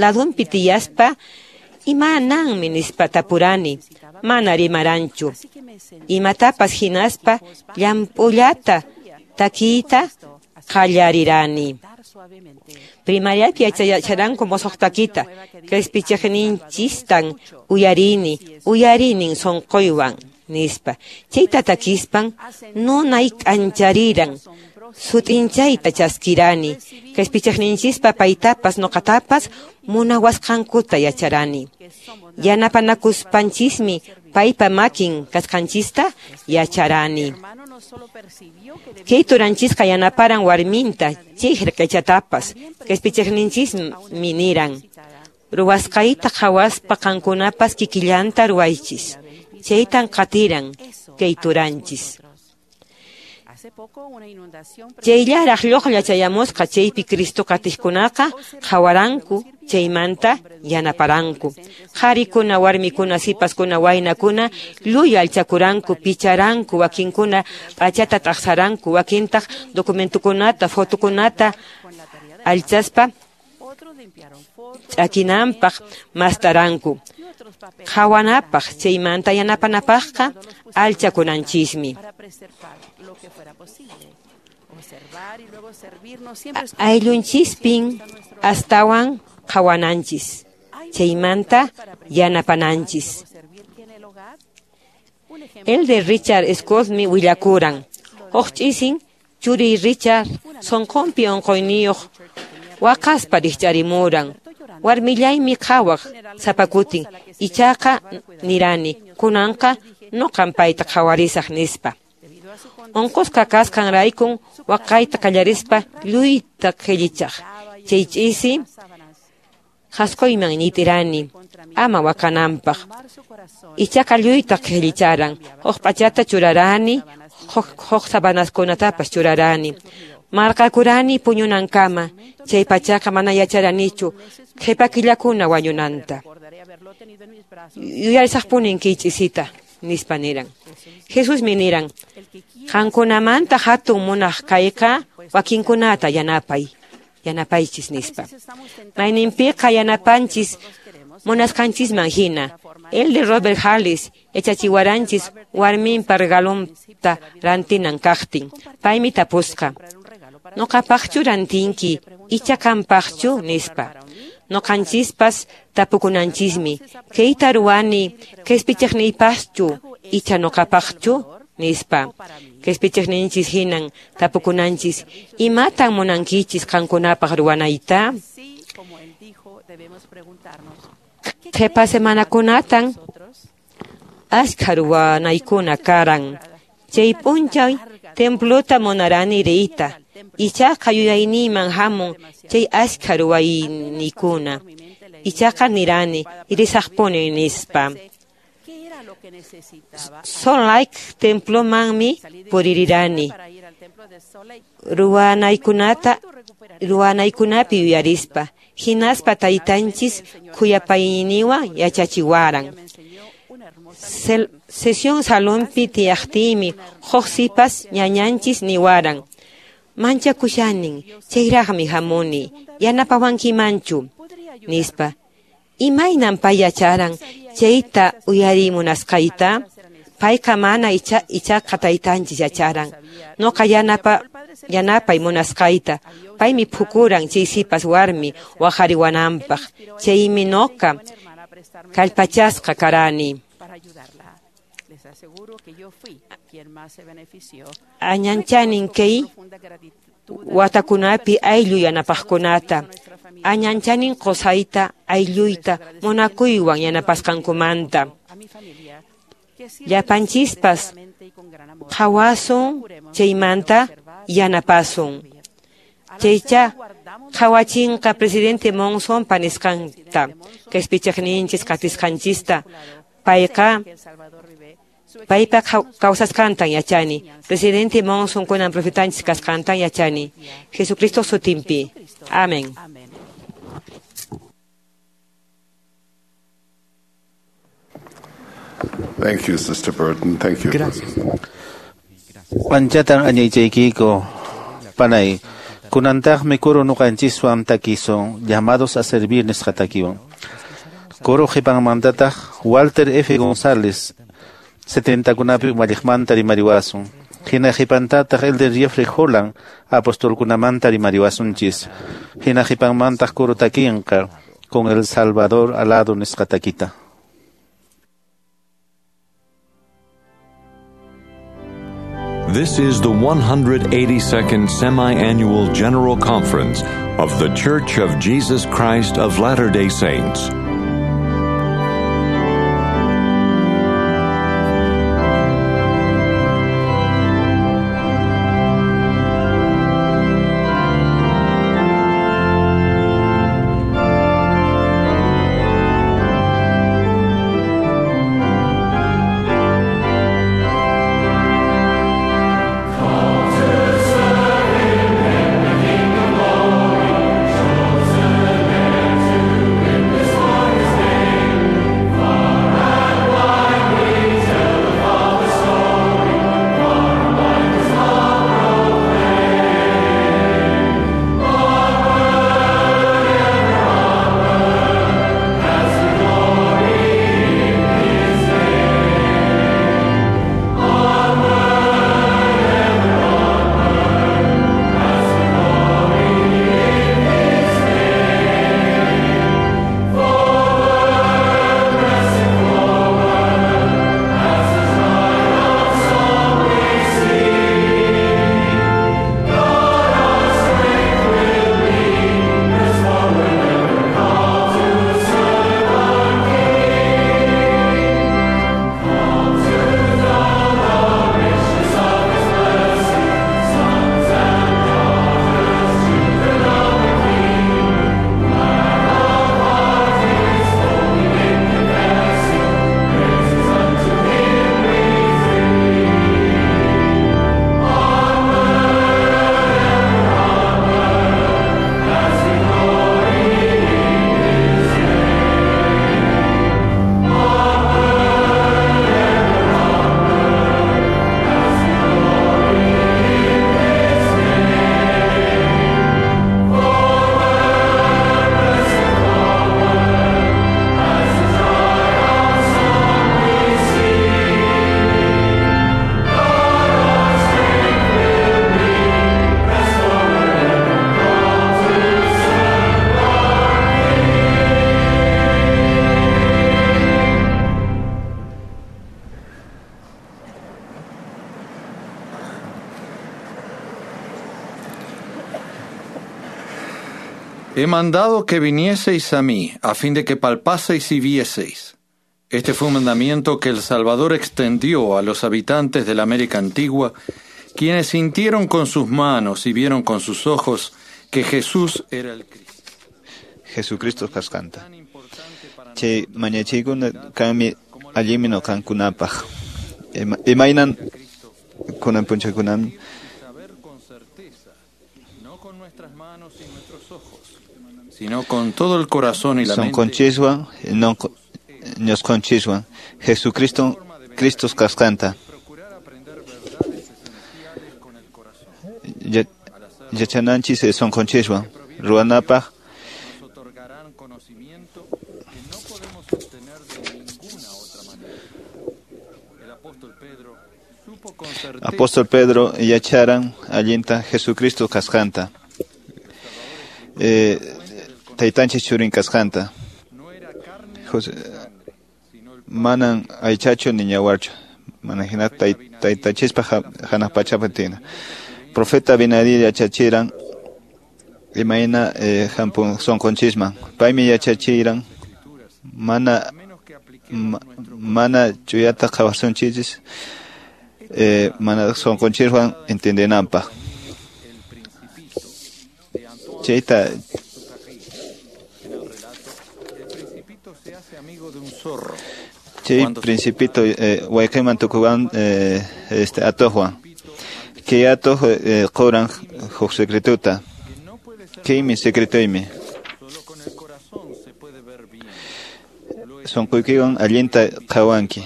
Ladunpi tiyaspa imananmi nispa tapurani, mana rimaranchu. Imatapas hinaspa llamp'ullata takiyta qallarirani. Primariapi yacharanku musuq takita, q'ispichiqninchistan uyarini, uyarinin sunquywan nispa. Chayta takispan nunay k'anchariran, sut'inchayta chaskirani, q'ispichiqninchispa paytapas ñuqatapas munawasqankuta yacharani. Yanapanakuspanchismi paypa makin kasqanchista yacharani. Kay turanchisqa yanaparan warminta chay hirq'ichatapas, q'ispichiqninchismi niran. Ruwasqayta qhawaspa qankunapas kikillanta ruwaychis. Chaytan qatiran kay turanchis. Chayllaraq lluqlla chayamusqa chaypi Cristo qatiqkunaqa qhawaranku chaymanta yanaparanku. Qharikuna, warmikuna, sipaskuna, waynakuna lluy allchakuranku, picharanku, wakinkuna p'achata t'aqsaranku, wakintaq documentukunata, fotokunata allchaspa ch'akinanpaq mastaranku. Qhawanapaq chaymanta yanapanapaqqa allchakunanchismi. Ayllunchispin astawan qhawananchis, chaymanta yanapananchis. El de Richard Scottmi willakuran. Huk ch'isin churiy Richard sunqunpi unquyniyuq waqaspa rikch'arimuran. Warmillaymi qhawaq sapakutin, ichaqa nirani, kunanqa ñuqan payta qhawarisaq nispa. Unqusqa kasqanraykun waqayta qallarispa lluyta qhillichaq. Chay ch'isi qhasquyman ñitirani ama waqananpaq. Ichaqa lluyta qhillicharan. Huk p'achata churarani, huk sabanaskunatapas churarani. Marqakurani puñunankama, chay pachaqa mana yacharanichu qhipa killakuna wañunanta. Yuyarisaqpunin kay ch'isita, nispa niran. Jesusmi niran, qankunamanta hatun munaq kayqa wakinkunata yanapay, yanapaychis nispa. Mayninpiqa yanapanchis munasqanchisman hina. El de Robert Harris yachachiwaranchis warminpa regalonta rantinan kaqtin. Paymi tapusqa, ñuqapaqchu rantinki, icha qampaqchu nispa. Ñuqanchispas tapukunanchismi, kayta ruwani q'ispichiqniypaqchu, icha ñuqapaqchu nispa. Q'ispichiqninchis hinan tapukunanchis, imatan munankichis qankunapaq ruwanayta? Qhipa semanakunatan ashkha ruwanaykuna karan. Chay p'unchay templuta munarani riyta, ichaqa yuyayniyman hamun chay ashkha ruwayniykuna. Ichaqa nirani risaqpuni nispa. Salt Lake templomanmi puririrani. Ruwanaykunapi yuyarispa, hinaspa taytanchis khuyapayniwan yachachiwaran. Sesión salonpi tiyaqtiymi huk sipas ñañanchis niwaran. Manchakushanin, chayraqmi hamuni, yanapawankimanchu, nispa. Imaynan pay yacharan chayta uyarimunasqayta? Payqa mana ichaqa taytanchis yacharan. Ñuqa yanapay munasqayta. Paymi phukuran chay sipas warmi waqariwananpaq. Chaymi ñuqa kallpachasqa karani. Añanchanin kay watakunapi ayllu yanapaqkunata. Añanchanin qusayta aylluyta munakuywan yanapasqankumanta. Llapanchispas qhawasun chaymanta yanapasun. Chaycha qhawachinqa presidente Monson panisqanta, qhispichiqninchis qatisqanchista. Payqa paypa kawsasqantan yachani. Presidente Monson kunan profetanchis kasqantan yachani. Jesucristo sutinpi. Amén. Thank you, Sister Burton. Thank you. Gracias. Anchatan añaychaykiko panay. Kunantaqmi kuru nuqanchiswan takisun, llamados a servir nisqa takiwan. Kuru qhipanmantataq Walter F. González 70kunapi umalliqmanta rimariwasun. Hina qhipantataq Elder Jeffrey Holland apostolkunamanta rimariwasunchis. Hina qhipanmantaq kuru takinqa con el Salvador alado nisqa takita. This is the 182nd Semi-Annual General Conference of The Church of Jesus Christ of Latter-day Saints. He mandado que vinieseis a mí, a fin de que palpaseis y vieseis. Este fue un mandamiento que el Salvador extendió a los habitantes de la América antigua, quienes sintieron con sus manos y vieron con sus ojos que Jesús era el Cristo. Jesucristo kasqanta. Chay mañachiykuna kanmi allinmi ñuqankunapaq. Imaynan kunan punchakunam sino con todo el corazón y la mente. Sonqonchiswan ñusqonchiswan Jesucristo Cristo kasqanta. Yachananchis sonqonchiswan ruwanapaq Apóstol Pedro yacharan allinta Jesucristo kasqanta. Taytanchis churin kasqanta. Manan aychachu ni ñawarchu. Mana hina taytanchispa hanaq pachapi tina. Profeta Abinadi yachachiran imayna hampun sunqunchisman. Paymi yachachiran mana chuyata qhawasunchis mana sunqunchiswan entendenanpaq. Chayta chay principito wayqiman tukuwan este atuqwan. Kay atuq quran huk secretuta. Kaymi secretoymi. Sunquykiwan allinta qhawanki.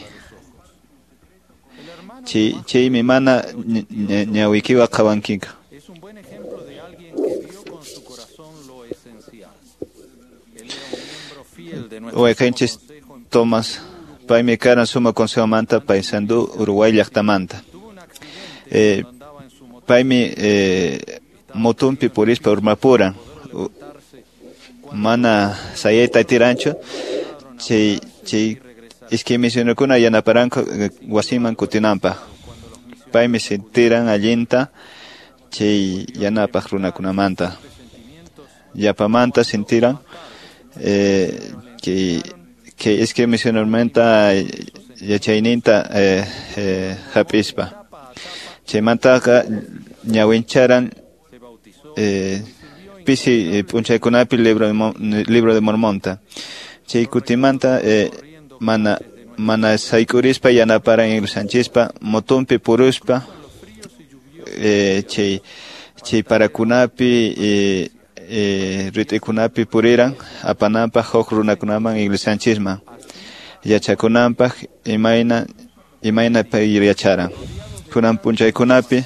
Chaymi mana ñawiykiwan qhawankiqa. Wayqinchis Tomás paymi karan suma consejomanta Paysandú Uruguay llaqtamanta. Paymi motumpi purispa urmapuran. Mana sayayta atiranchu. Chay iskay misionekuna yanaparanku wasiman kutinanpaq. Paymi sintiran allinta chay yanapaq runakunamanta. Yapamanta sintiran que iskay misionermanta yachayninta hap'ispa. Chaymantaqa ñawincharan pisi p'unchaykunapi libro de Mormonta. Chay kutimanta mana sayk'urispa yanaparan iglesianchispa motumpi puruspa chay parakunapi rit'ikunapi puriran apananpaq huk runakunaman iglesianchisman yachakunanpaq imayna pay yacharan. Kunan p'unchaykunapi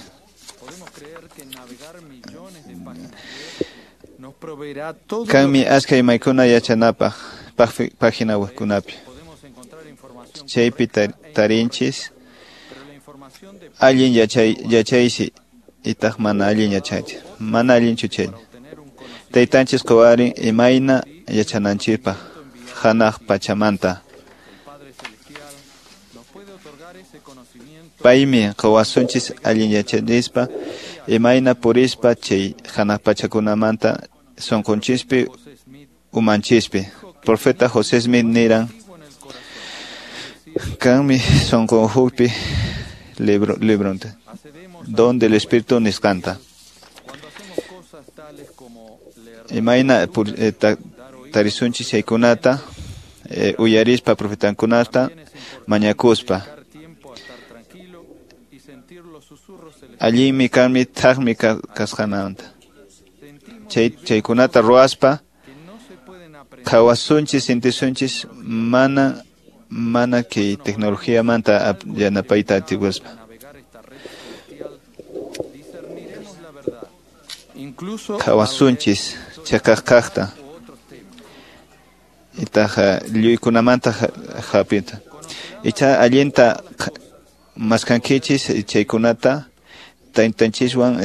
kanmi achka imaykuna yachanapaq página webkunapi. Chaypi tarinchis allin yachaysi itaq mana allin yachaysi. Mana allinchu chay. Taytanchis quwarin imayna yachananchikpaq hanaq pachamanta. Paymi quwasunchis allin yachanispa imayna purispa chay hanaq pachakunamanta sunqunchispi umanchispi. Profeta José Smith niran kanmi sunqunhupi libronta donde el Espíritu nisqanta. Imayna tarisunchis chaykunata uyarispa profetankunata mañakuspa. Allinmi kanmi thaqmi kasqananta. Chaykunata ruwaspa qhawasunchis sintisunchis mana kay tecnologiamanta yanapayta atiwaspa. Qhawasunchis chaqaq kaqta itaq lluykunamanta hap'ita. Icha allinta maskankichis chaykunata taytanchiswan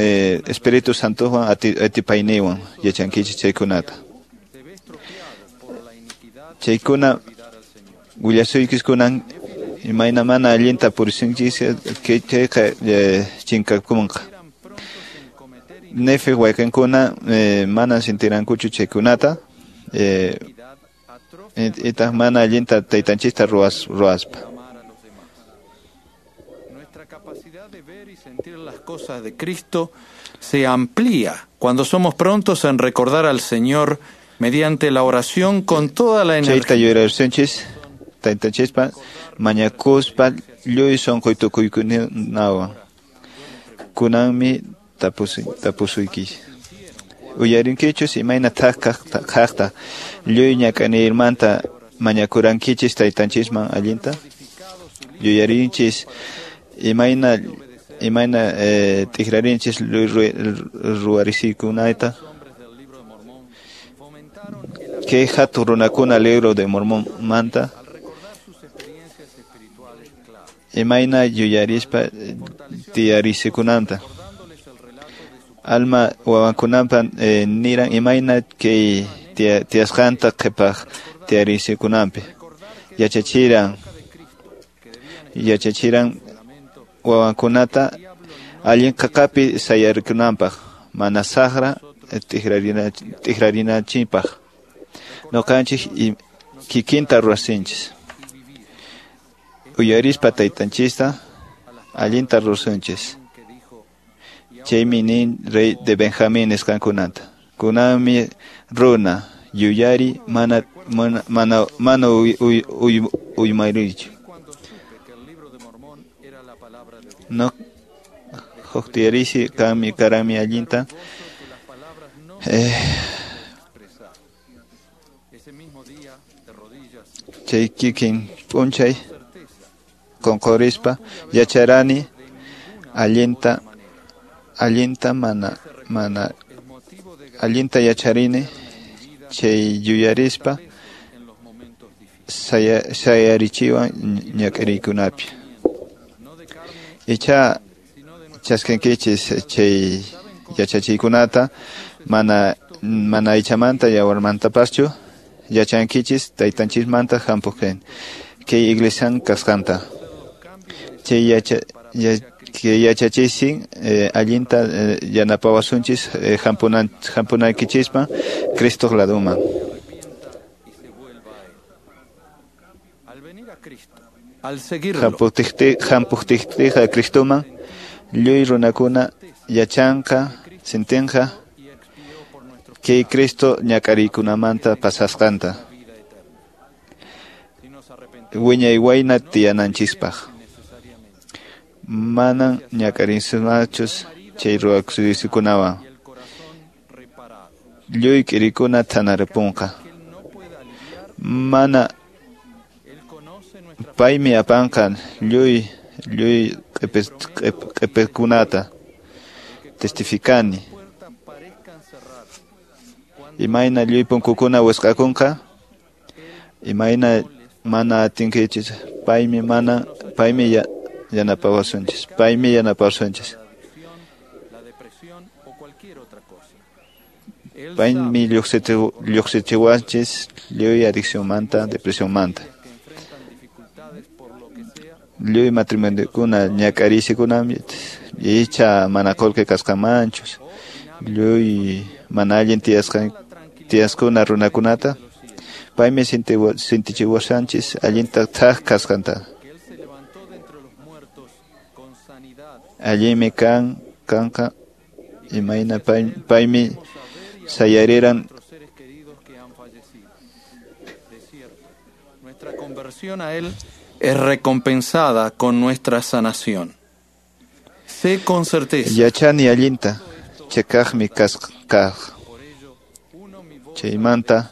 Espíritu Santowan atipayniwan yachankichis chaykunata. Chaykuna willasuykichkunan imayna mana allinta purisunchis chayqa chinkakunqa. Nefi wayqinkuna mana sintirankuchu chaykunata itaq mana allinta taytanchista ruwaspa. Nuestra capacidad de ver y sentir las cosas de Cristo se amplía cuando somos prontos en recordar al Señor mediante la oración con toda la energía. Chayta yuyarisunchis taytanchispa mañakuspa lluy sunquy tukuykunawan. Kunanmi tapusuykichis. Uyarinkichus imayna thaq kaqta lluy ñak'aniymanta mañakurankichis taytanchisman allinta. Yuyarinchis imayna t'ikrarinchis lluy ruwarisiykunata. Kay hatun runakuna libro de Mormonmanta imayna yuyarispa tiyarisikunanta. Alma wawankunampa niran imayna kay tiyasqanta qhipaq tiyarisikunampi. Yachachiran wawankunata allin qaqapi sayarikunanpaq mana saqra t'ikrarinanchikpaq. Ñuqanchik kikinta rurasinchis. Uyarispa taytanchista allinta rurasunchis. Chaymi nin rey de Benjamín nisqankunata. Kunanmi runa yuyari mana uymayrichu. No huqtiyarisi kanmi karami allinta. Chay kikin p'unchay qunqurispa yacharani allinta mana allinta yacharini chay yuyarispa sayarichiwan ñak'ariykunapi. Icha chaskinkichis chay yachachiykunata mana aychamanta yawarmantapaschu yachankichis taytanchismanta hampuqin kay iglesian kasqanta. Chay yachachiysin allinta yanapawasunchis hampunaykichispa Cristoq laduman. Hampuqtiyqa Cristoman lluy runakuna yachanqa sintinqa kay Cristo ñak'ariykunamanta pasasqanta wiñay wayna tiyananchispaq. Manan ñak'arinsunachus chay ruwakusikunawan. Lluy k'irikuna thanaripunqa. Mana paymi apanqa lluy q'ipikunata. Testificani. Imayna lluy punkukuna wisq'akunqa, imayna mana atinkichis, paymi yanapawasunchis, paymi yanapawasunchis. Paymi lluqsichiwanchis lluy adiccionmanta, depresionmanta. Lluy matrimoniokuna ñak'ariysikunami icha mana qullqi kasqanmanchus lluy mana allin tiyasquna runakunata paymi sintichiwasanchis allinta thak kasqanta. Allinmi kanqa imayna paymi sayariran. Nuestra conversión a él es recompensada con nuestra sanación. Sé con certeza. Yachani allinta chakaqmi kaq. Chaymanta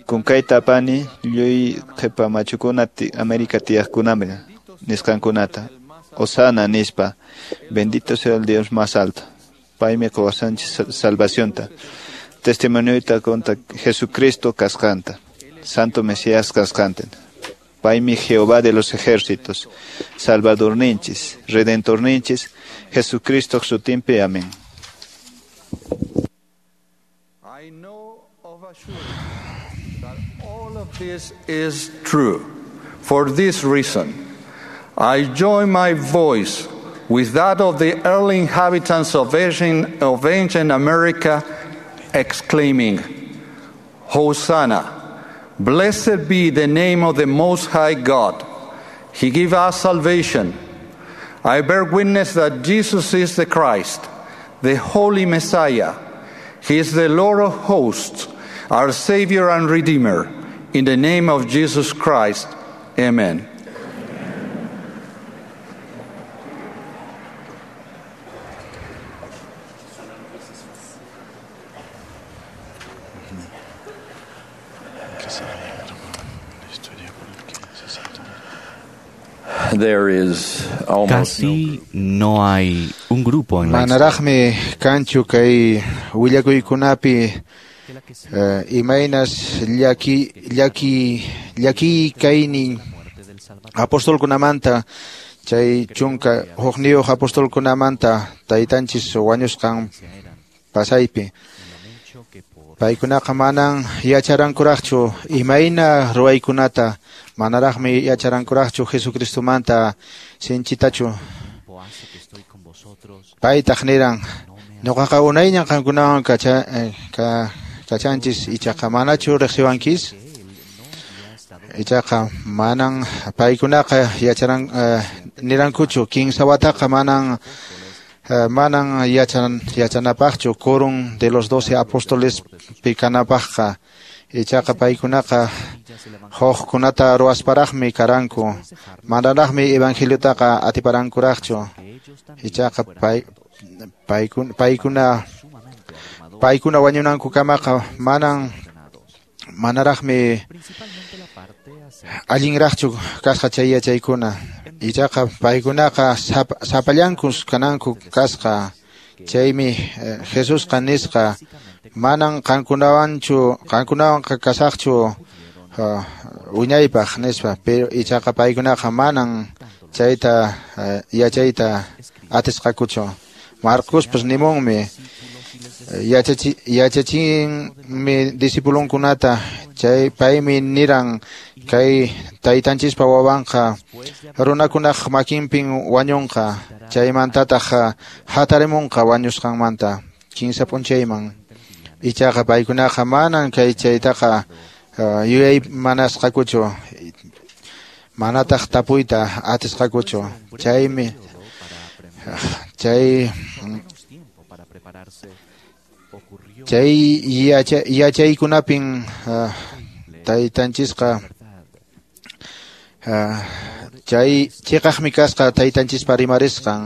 kunkayta apani lluy qhipa machukuna América tiyaqkunami nisqankunata. Osana nispa, bendito sea el Dios más alto. Paymi quwasanchis salvacionta. Testimonioyta contra Jesucristo kasqanta, Santo Mesías kasqanta. Paymi Jehová de los ejércitos, Salvador ninchis, Redentor ninchis, Jesucristo sutinpi. Amén. I know of a surety that all of this is true. For this reason, I join my voice with that of the early inhabitants of ancient America, exclaiming, Hosanna! Blessed be the name of the Most High God. He gave us salvation. I bear witness that Jesus is the Christ, the Holy Messiah. He is the Lord of hosts, our Savior and Redeemer. In the name of Jesus Christ, amen. Casi no hay un grupo en la Manaraqmi kanchu kay willakuykunapi imaynas llaki kaynin apostolkunamanta chay chunka hukniyuq apostolkunamanta taytanchis wañusqan pasaypi. Paykunaqa manan yacharankuraqchu imayna ruwaykunata, manaraqmi yacharankuraqchu Jesucristomanta sinchitachu. Paytaq niran, ñuqaqa unayñan qankunawan kachanchis, ichaqa manachu riqsiwankis? Ichaqa manan paykunaqa yacharan nirankuchu, kinsa wataqa manan yachanapaqchu quórum de los 12 apóstoles pikanapaqqa. Ichaqa paykunaqa hukkunata ruwasparaqmi karanku, manaraqmi evangeliotaqa atiparankuraqchu. Ichaqa paykuna wañunankukamaqa manaraqmi allinraqchu kasqa chay yachaykuna. Ichaqa paykunaqa sapallankus kananku kasqa. Chaymi Jesusqa nisqa, manan qankunawanqa kasaqchu wiñaypaq nispa. Pero ichaqa paykunaqa manan chayta yachayta atisqakuchu. Marcospas nimunmi, yachachinmi discipulunkunata, chay paymi niran kay taytanchispa wawanqa runakunaq makinpin wañunqa, chaymantataq hatarimunqa wañusqanmanta kinsa p'unchayman. Ichaqa paykunaqa manan kay chaytaqa yuyaymanasqakuchu, manataq tapuyta atisqakuchu. Chaymi chay yachaykunapin taytanchisqa chay chiqaqmi kasqa taytanchispa rimarisqan.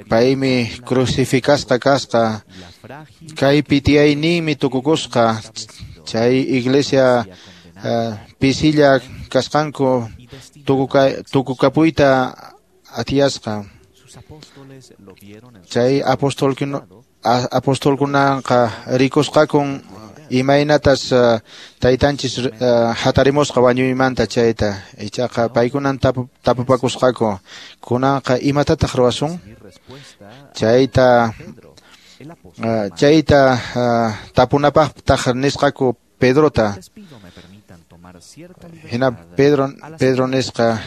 Paymi crucificasqa kasqa, kaypi tiyayninmi tukukusqa. Chay iglesia pisilla kasqanku tukukapuyta atiyasqa. Chay apostolkunaqa rikusqakun imaynatas taytanchis hatarimusqa wañuymanta chayta. Ichaqa paykunan tapupakusqaku, kunanqa imatataq ruwasun? Chayta tapunapaqtaq nisqaku Pedrota. Hina Pedro nisqa,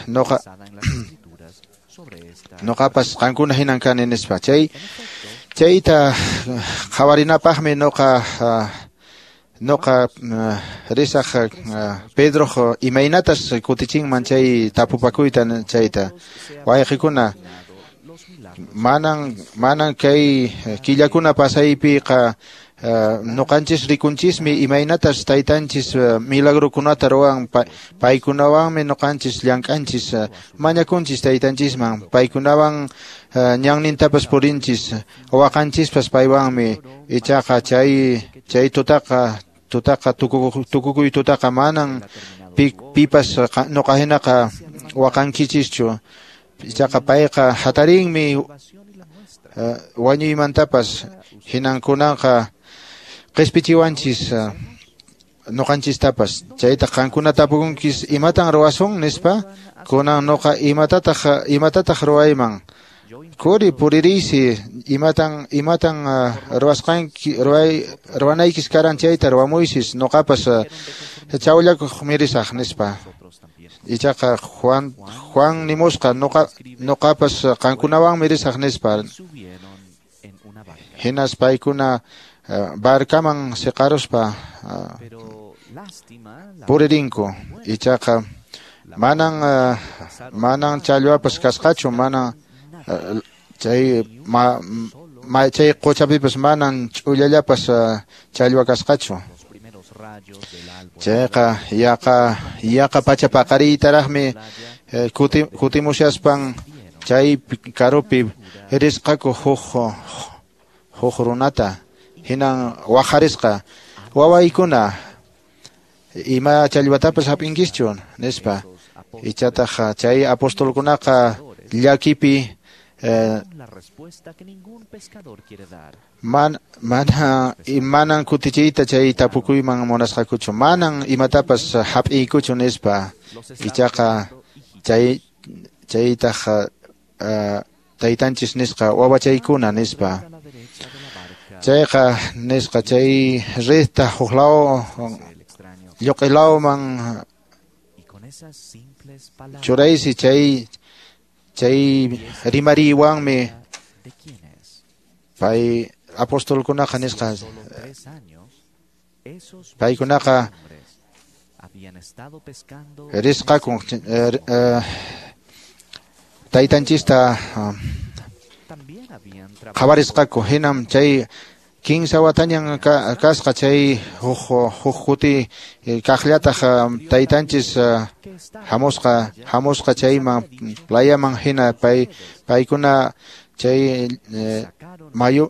noqapas qankuna hinan kani nispa. Chayta qhawarinapaqmi noqa risaq Pedroq imaynatas kutichinman chay tapupakuyta chayta. Wayqikuna, manan kay killakuna pasaypiqa noqanchis rikunchismi imaynatas taytanchis milagrokunata ruwan. Paykunawanmi noqanchis llank'anchis, mañakunchis taytanchisman, paykunawan ñannintapas purinchis, waqanchispas paywanmi. Ichaqa chay tutaqa tukukuy tutaqa manan pipas noqa hinaqa waqankichischu. Ichaqa payqa hatarinmi wañuymantapas, hinankunanqa qispichiwanchis noqanchistapas. Chayta qankuna tapukunkis, imatan ruwasun nispa. Kunan noqa imatataq ruwayman? Kuri puririysi, imatan ruwasqanki ruwanaykis karan chayta ruwamuysis, noqapas chawllakuq mirisaq nispa. Ichaqa Juan nimusqa, noqapas qankunawanmi risaq nispa. Hinas paykuna barcaman siqaruspa puririnku. Ichaqa manan challwapas kasqachu, manan chay quchapipas manan ch'ullallapas challwa kasqachu. Chayqa yaqa pacha paqariytaraqmi kutimushaspan chay karupi risqaku huk runata. Hinan waqarisqa, wawaykuna, ima challwatapas hap'inkischu nispa. Ichataq chay apostolkunaqa llakipi manan kutichiyta chay tapukuyman munasqakuchu, manan imatapas hap'iykuchu nispa. Ichaqa chaytaq taytanchis nisqa, wawachaykuna nispa. Chayqa nisqa chay redta huklaw lluq'ilawman churaysi chay rimariwanmi pay apostolkunaqa nisqa paykunaqa risqakun taytanchista qhawarisqaku hinam chay kinsa watañan kasqa chay huk kuti kaqllataq taytanchis hamusqa chayman playaman hina paykuna chay mayu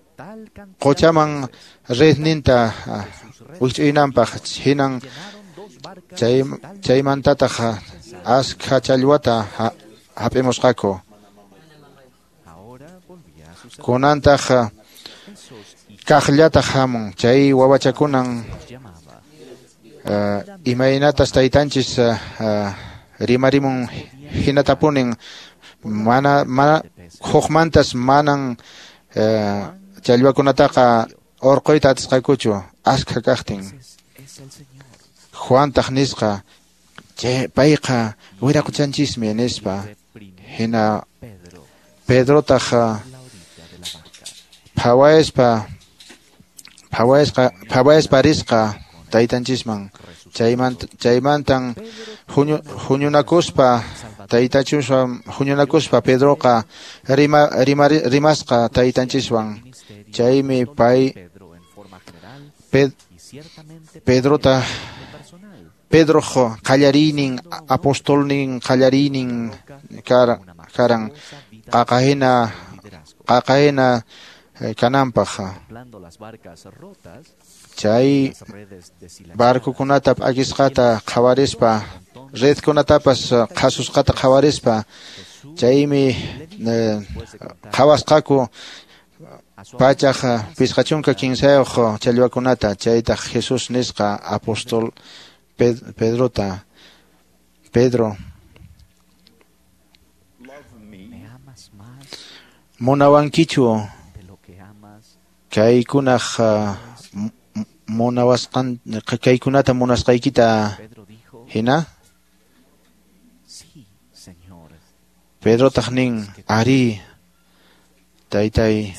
qochaman redninta wikch'uynanpaq hinan chaymantataq askha challwata hap'imusqaku kunantaq kaqllataq hamun chay wawachakunan imaynatas taytanchis rimarimun hinatapunin mana hukmantas manan challwakunataqa urquyta atisqakuchu askha kaqtin. Juantaq nisqa chay payqa wiraquchanchismi nispa hina Pedrotaq phawaspa risqa taytanchisman chaymantan huñunakuspa taytanchiswan huñunakuspa Pedroqa rimasqa taytanchiswan chaymi pay Pedroq qallariynin apostolnin qallariynin karan qaqahina kananpaq chay barcokunata p'akisqata qhawarispa redkunatapas qhasusqata qhawarispa chaymi qhawasqaku pachaq 53 challwakunata chaytaq Jesús nisqa apostol Pedrota Pedro munawankichu kaykunaq munawasqan kaykunata munasqaykita hina Pedrotaq nin ari taytay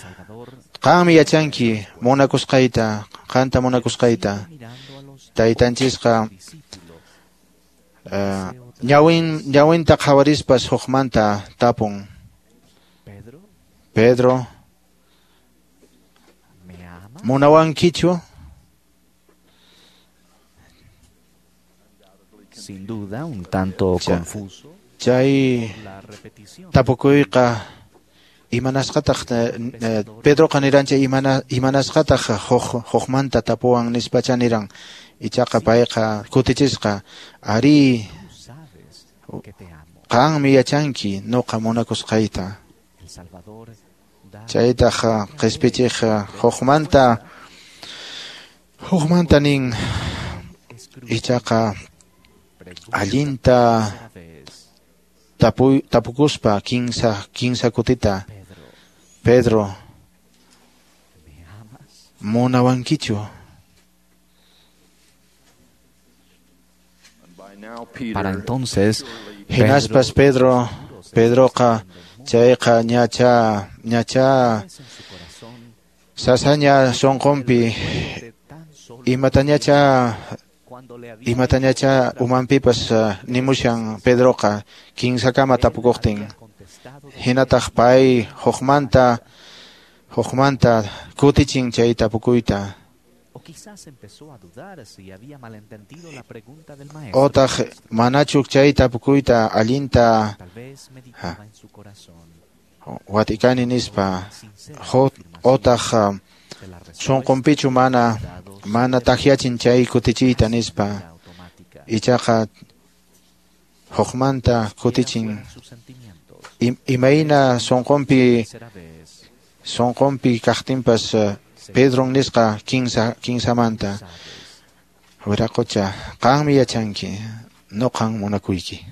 qanmi yachanki munakusqayta qanta munakusqayta taytanchisqa ñawinta qhawarispas hukmanta tapun Pedro munawankichu. Sin duda un tanto confuso. Chay tapukuyqa imanasqataq Pedroqa nirancha imanasqataq hukmanta tapuwan nispacha niran ichaqa payqa kutichisqa ari qanmi yachanki nuqa munakusqayta chaytaq qispichiq hukmanta nin ichaqa allinta tapukuspa kinsa kutita Pedro munawankichu. Para entonces hinaspas Pedroqa chayqa ñacha sasaña sunqunpi imatañacha umanpipas nimushan Pedroqa kinsakama tapukuqtin hinataq pay hukmanta kutichin chay tapukuyta. Otaq manachu chay tapukuyta allinta watikani nispa otaq sunqunpichu mana takyachin chay kutichiyta nispa ichaqa hukmanta kutichin imayna sunqunpi kaqtinpas Pedron nisqa kinsamanta wiraqocha qanmi yachanki nuqan munakuyki.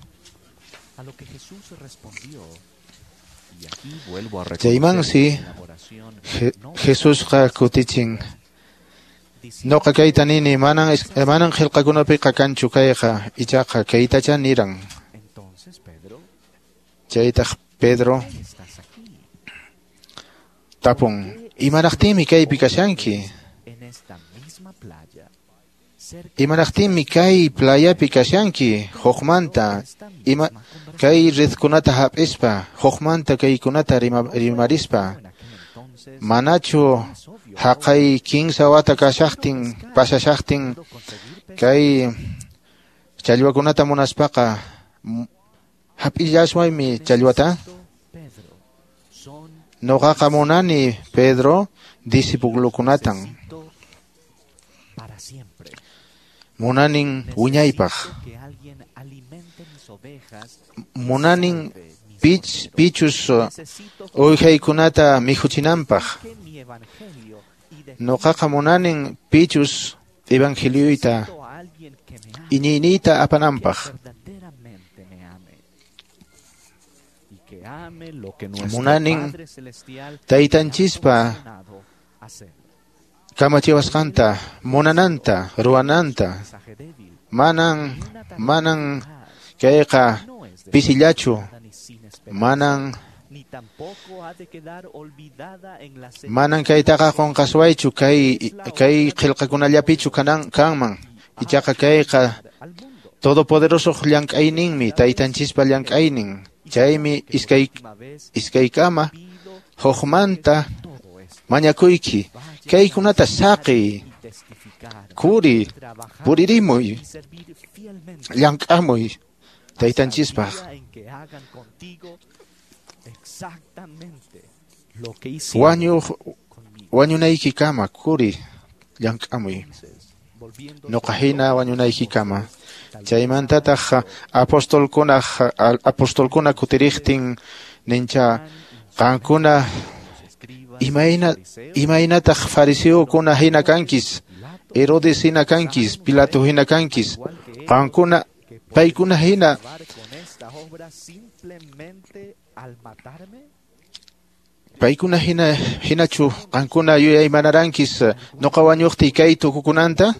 Chaymansi Jesusqa kutichin Noqa kayta nini, manan qillqakunapiqa kanchu kayqa, ichaqa kaytacha niran. Chaytaq Pedro tapun, imaraqtinmi kaypi kashanki? Imaraqtinmi kay playapi kashanki? Hukmanta ima kay redkunata hap'ispa, hukmanta kaykunata rimarispa. Manachu haqay 15 wata kashaqtin, pasashaqtin kay challwakunata munaspaqa hap'illaswaymi challwata? Noqaqa munani Pedro discipulukunatan. Munanin wiñaypaq. Munanin pichus uwihaykunata mikhuchinanpaq. Noqaqa munanin pichus evangelioyta iñiyniyta apananpaq. Munanin taytanchispa kamachiwasqanta, munananta, ruwananta. Manan kayqa pisillachu, manan kaytaqa qunqaswaychu kay qillqakunallapichu kanman. Ichaqa kayqa todopoderoso llank'ayninmi, taytanchispa llank'aynin. Chaymi iskaykama hukmanta mañakuyki, kaykunata saqiy, kuri, puririmuy, llank'amuy taytanchispaq. Wañunaykikama kuri, llank'amuy. Noqa hina wañunaykikama. Chaymantataq apostolkuna kutiriqtin nincha qankuna imaynataq fariseokuna hina kankis, Herodes hina kankis, Pilato hina kankis, qankuna paykuna hina paykuna hinachu qankuna yuyaymanarankis noqa wañuqtiy kay tukukunanta?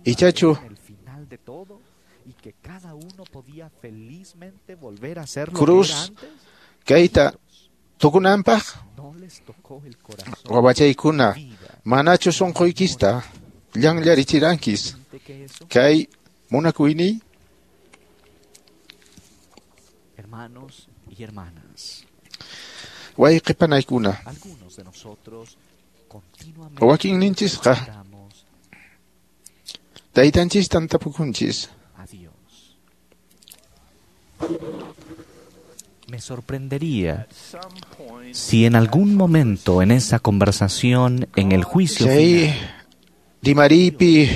Ichachu cruz kayta tukunanpaq? Wawachaykuna, manachu sunquykista llanllarichirankis kay munakuyniy? Hermanos y hermanas, wayqi panaykuna, wakinninchisqa taytanchistan tapukunchis. Me sorprendería si en algún momento en esa conversación, en el juicio final, rimaripi,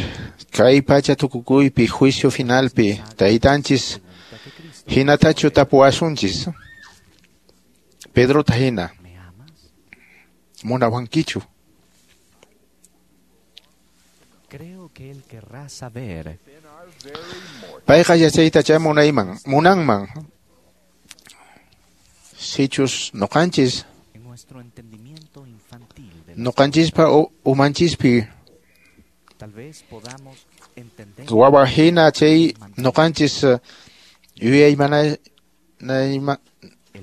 kay pacha tukukuypi, juicio finalpi, taytanchis hinatachu tapuwasunchis. Pedrota hina, munawankichu? Creo que él querrá saber. Payqa yachaytacha munanman. Sichus noqanchis noqanchispa umanchispi wawa hina chay noqanchis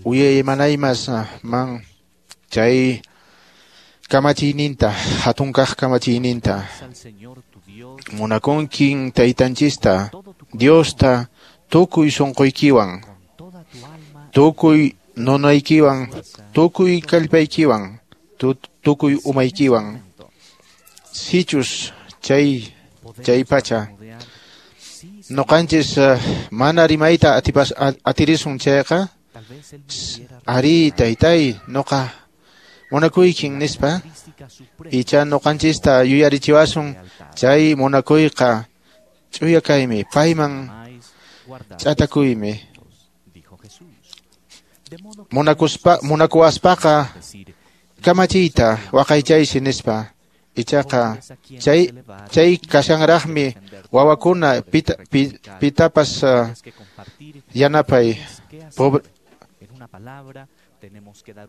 yuyaymanaymas man chay kamachiyninta, hatunkaq kamachiyninta. Munakunkin taytanchista, Diosta, tukuy sunquykiwan, tukuy nunaykiwan, tukuy kallpaykiwan, tukuy umaykiwan. Sichus chay pacha noqanchis mana rimayta atirisun chayqa, ari taytay noqa munakuykin nispa, icha noqanchista yuyarichiwasun chay munakuyqa ch'uya kaymi, payman ch'atakuymi. Munakuwaspaqa kamachiyta waqaychaysi nispa. Ichaqa chay kashanraqmi wawakuna pitapas yanapay.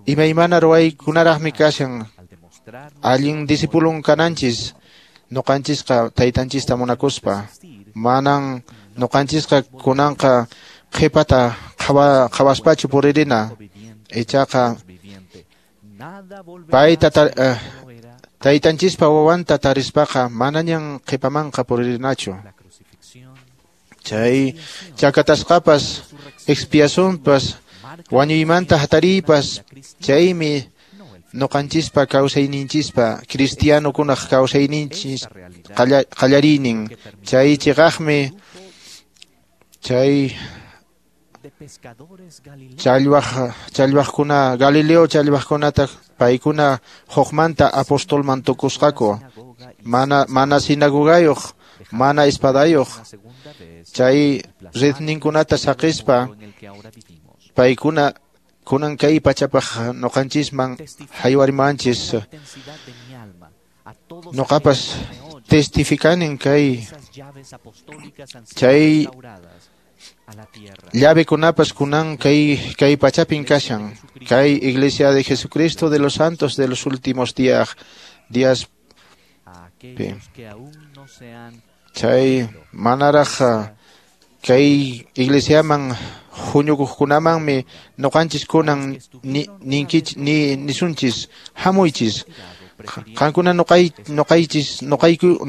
Imaymana ruwaykunaraqmi kashan. Allin discipulon kananchis noqanchisqa taytanchista munakuspa. Manan noqanchisqa kunanqa qhipata qhawaspachu puririna. Ichaqa payta taytanchispa wawanta tarispaqa manañan qhipamanqa puririnachu. Chay chakatasqapas expiacionpas wañuymanta hatariypas chaymi noqanchispa kawsayninchispa cristianokunaq kawsayninchis qallariynin. Chay chiqaqmi chay challwaqkuna Galileo challwaqkunata paykuna hukmanta apostolman tukusqaku. Mana sinagogayuq, mana espadayuq. Chay redninkunata saqispa paykuna kunan kay pachapaq noqanchisman haywarimanchis. Noqapas testificanin kay chay llavekunapas kunan kay pachapin kashan. Kay Iglesia de Jesucristo de los Santos de los últimos días chay manaraq kay iglesiaman huñukuqkunamanmi noqanchis kunan ninkichis nisunchis hamuychis qankuna noqaychis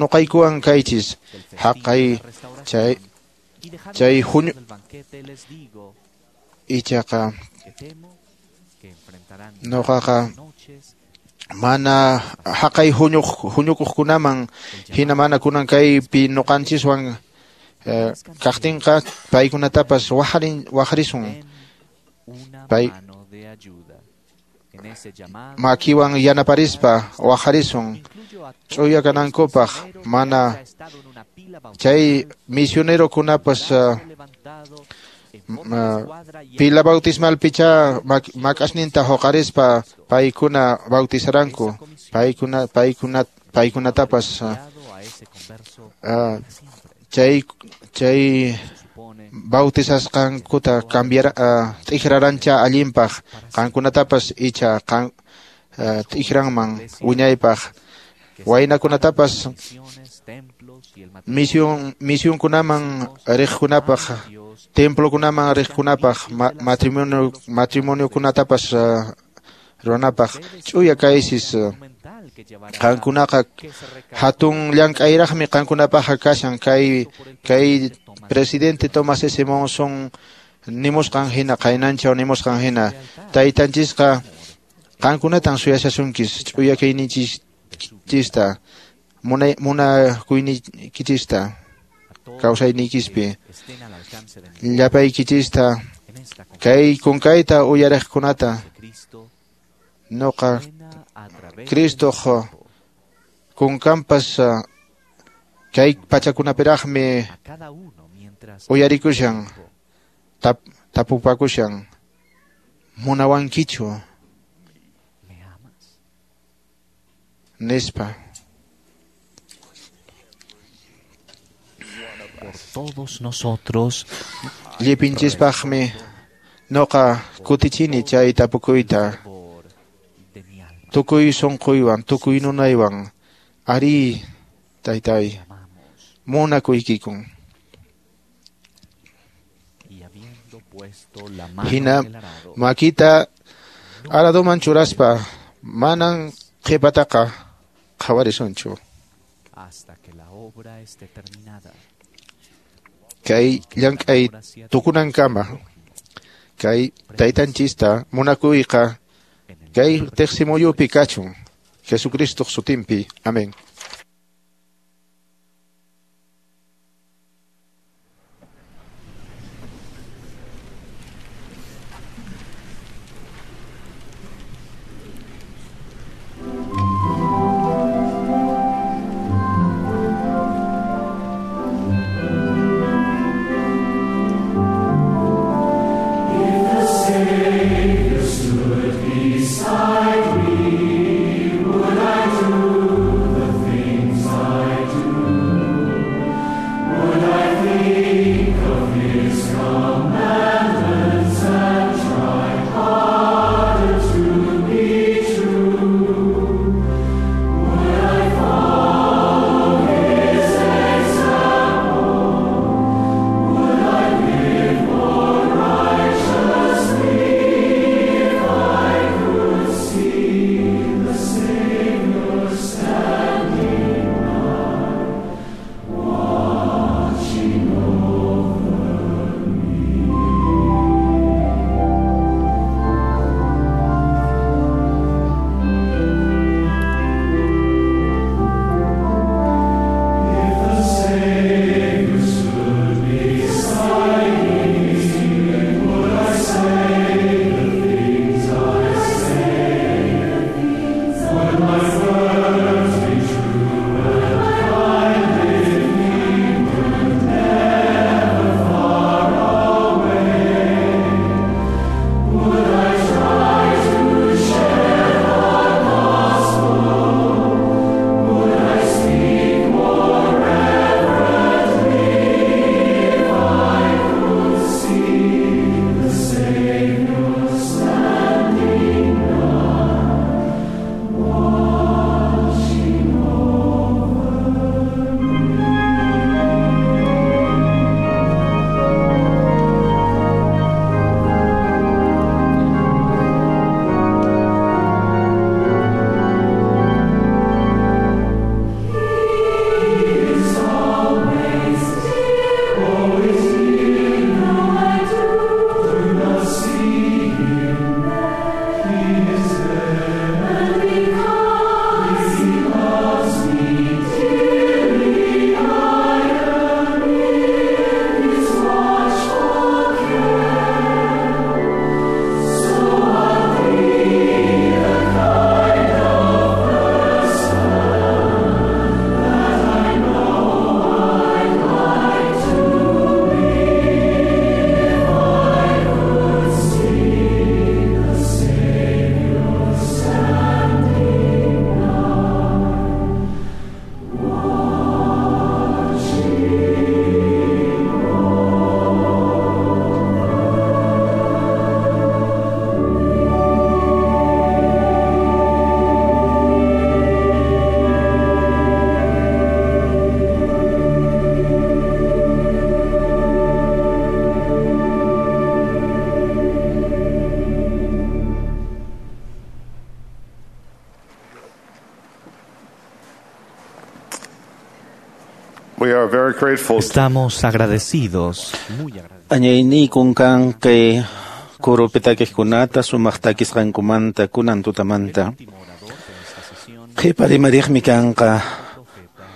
noqaykuwan kaychis haqay chay huñu ichaqa noqaqa mana haqay huñukuqkunaman hina mana kunan kaypi noqanchiswan kaqtinqa paykunatapas waqrisun. Pay makiwan yanaparispa waqrisun ch'uya kanankupaq. Mana chay misionerokunapas pila bautismalpicha mak'asninta huqarispa paykuna bautizaranku. Paykunatapas chay bautizasqankuta cambiar t'ikrarancha allinpaq qankunatapas icha t'ikranman wiñaypaq. Waynakunatapas misionkunaman riqkunapaq, templokunaman riqkunapaq, matrimoniokunatapas ruwanapaq ch'uya kaysis. Qankunaqa hatun llank'ayraqmi qankunapaqqa kashan. Kay presidente Thomas S. Monson nimusqan hina, qaynanchaw nimusqan hina, taytanchisqa qankunatan suyashasunchis ch'uya kayninchista, munakuynikichista, kawsayniykispi, llapaykichista, kay kunkayta uyariqkunata noqa Cristoq kunkanpas kay pachakunapiraqmi uyarikushan, tapupakushan, munawankichu nispa. Por todos nosotros llipinchispaqmi noqa kutichini chay tapukuyta. Tukuy sunquywan, tukuy nunaywan, ari taytay, munakuykikun. Hina makita araduman churaspa manan qhipataqa qhawarisunchu. Kay llank'ay tukunankama kay taytanchista munakuyqa kay teqsimuyupi kachun. Jesucristoq sutinpi. Amén. Beside me, would I do the thing? Estamos agradecidos. Añayniykun kan kay kurupi takiqkunata sumaq takisqankumanta kunan tutamanta. Qhipa rimariqmi kanqa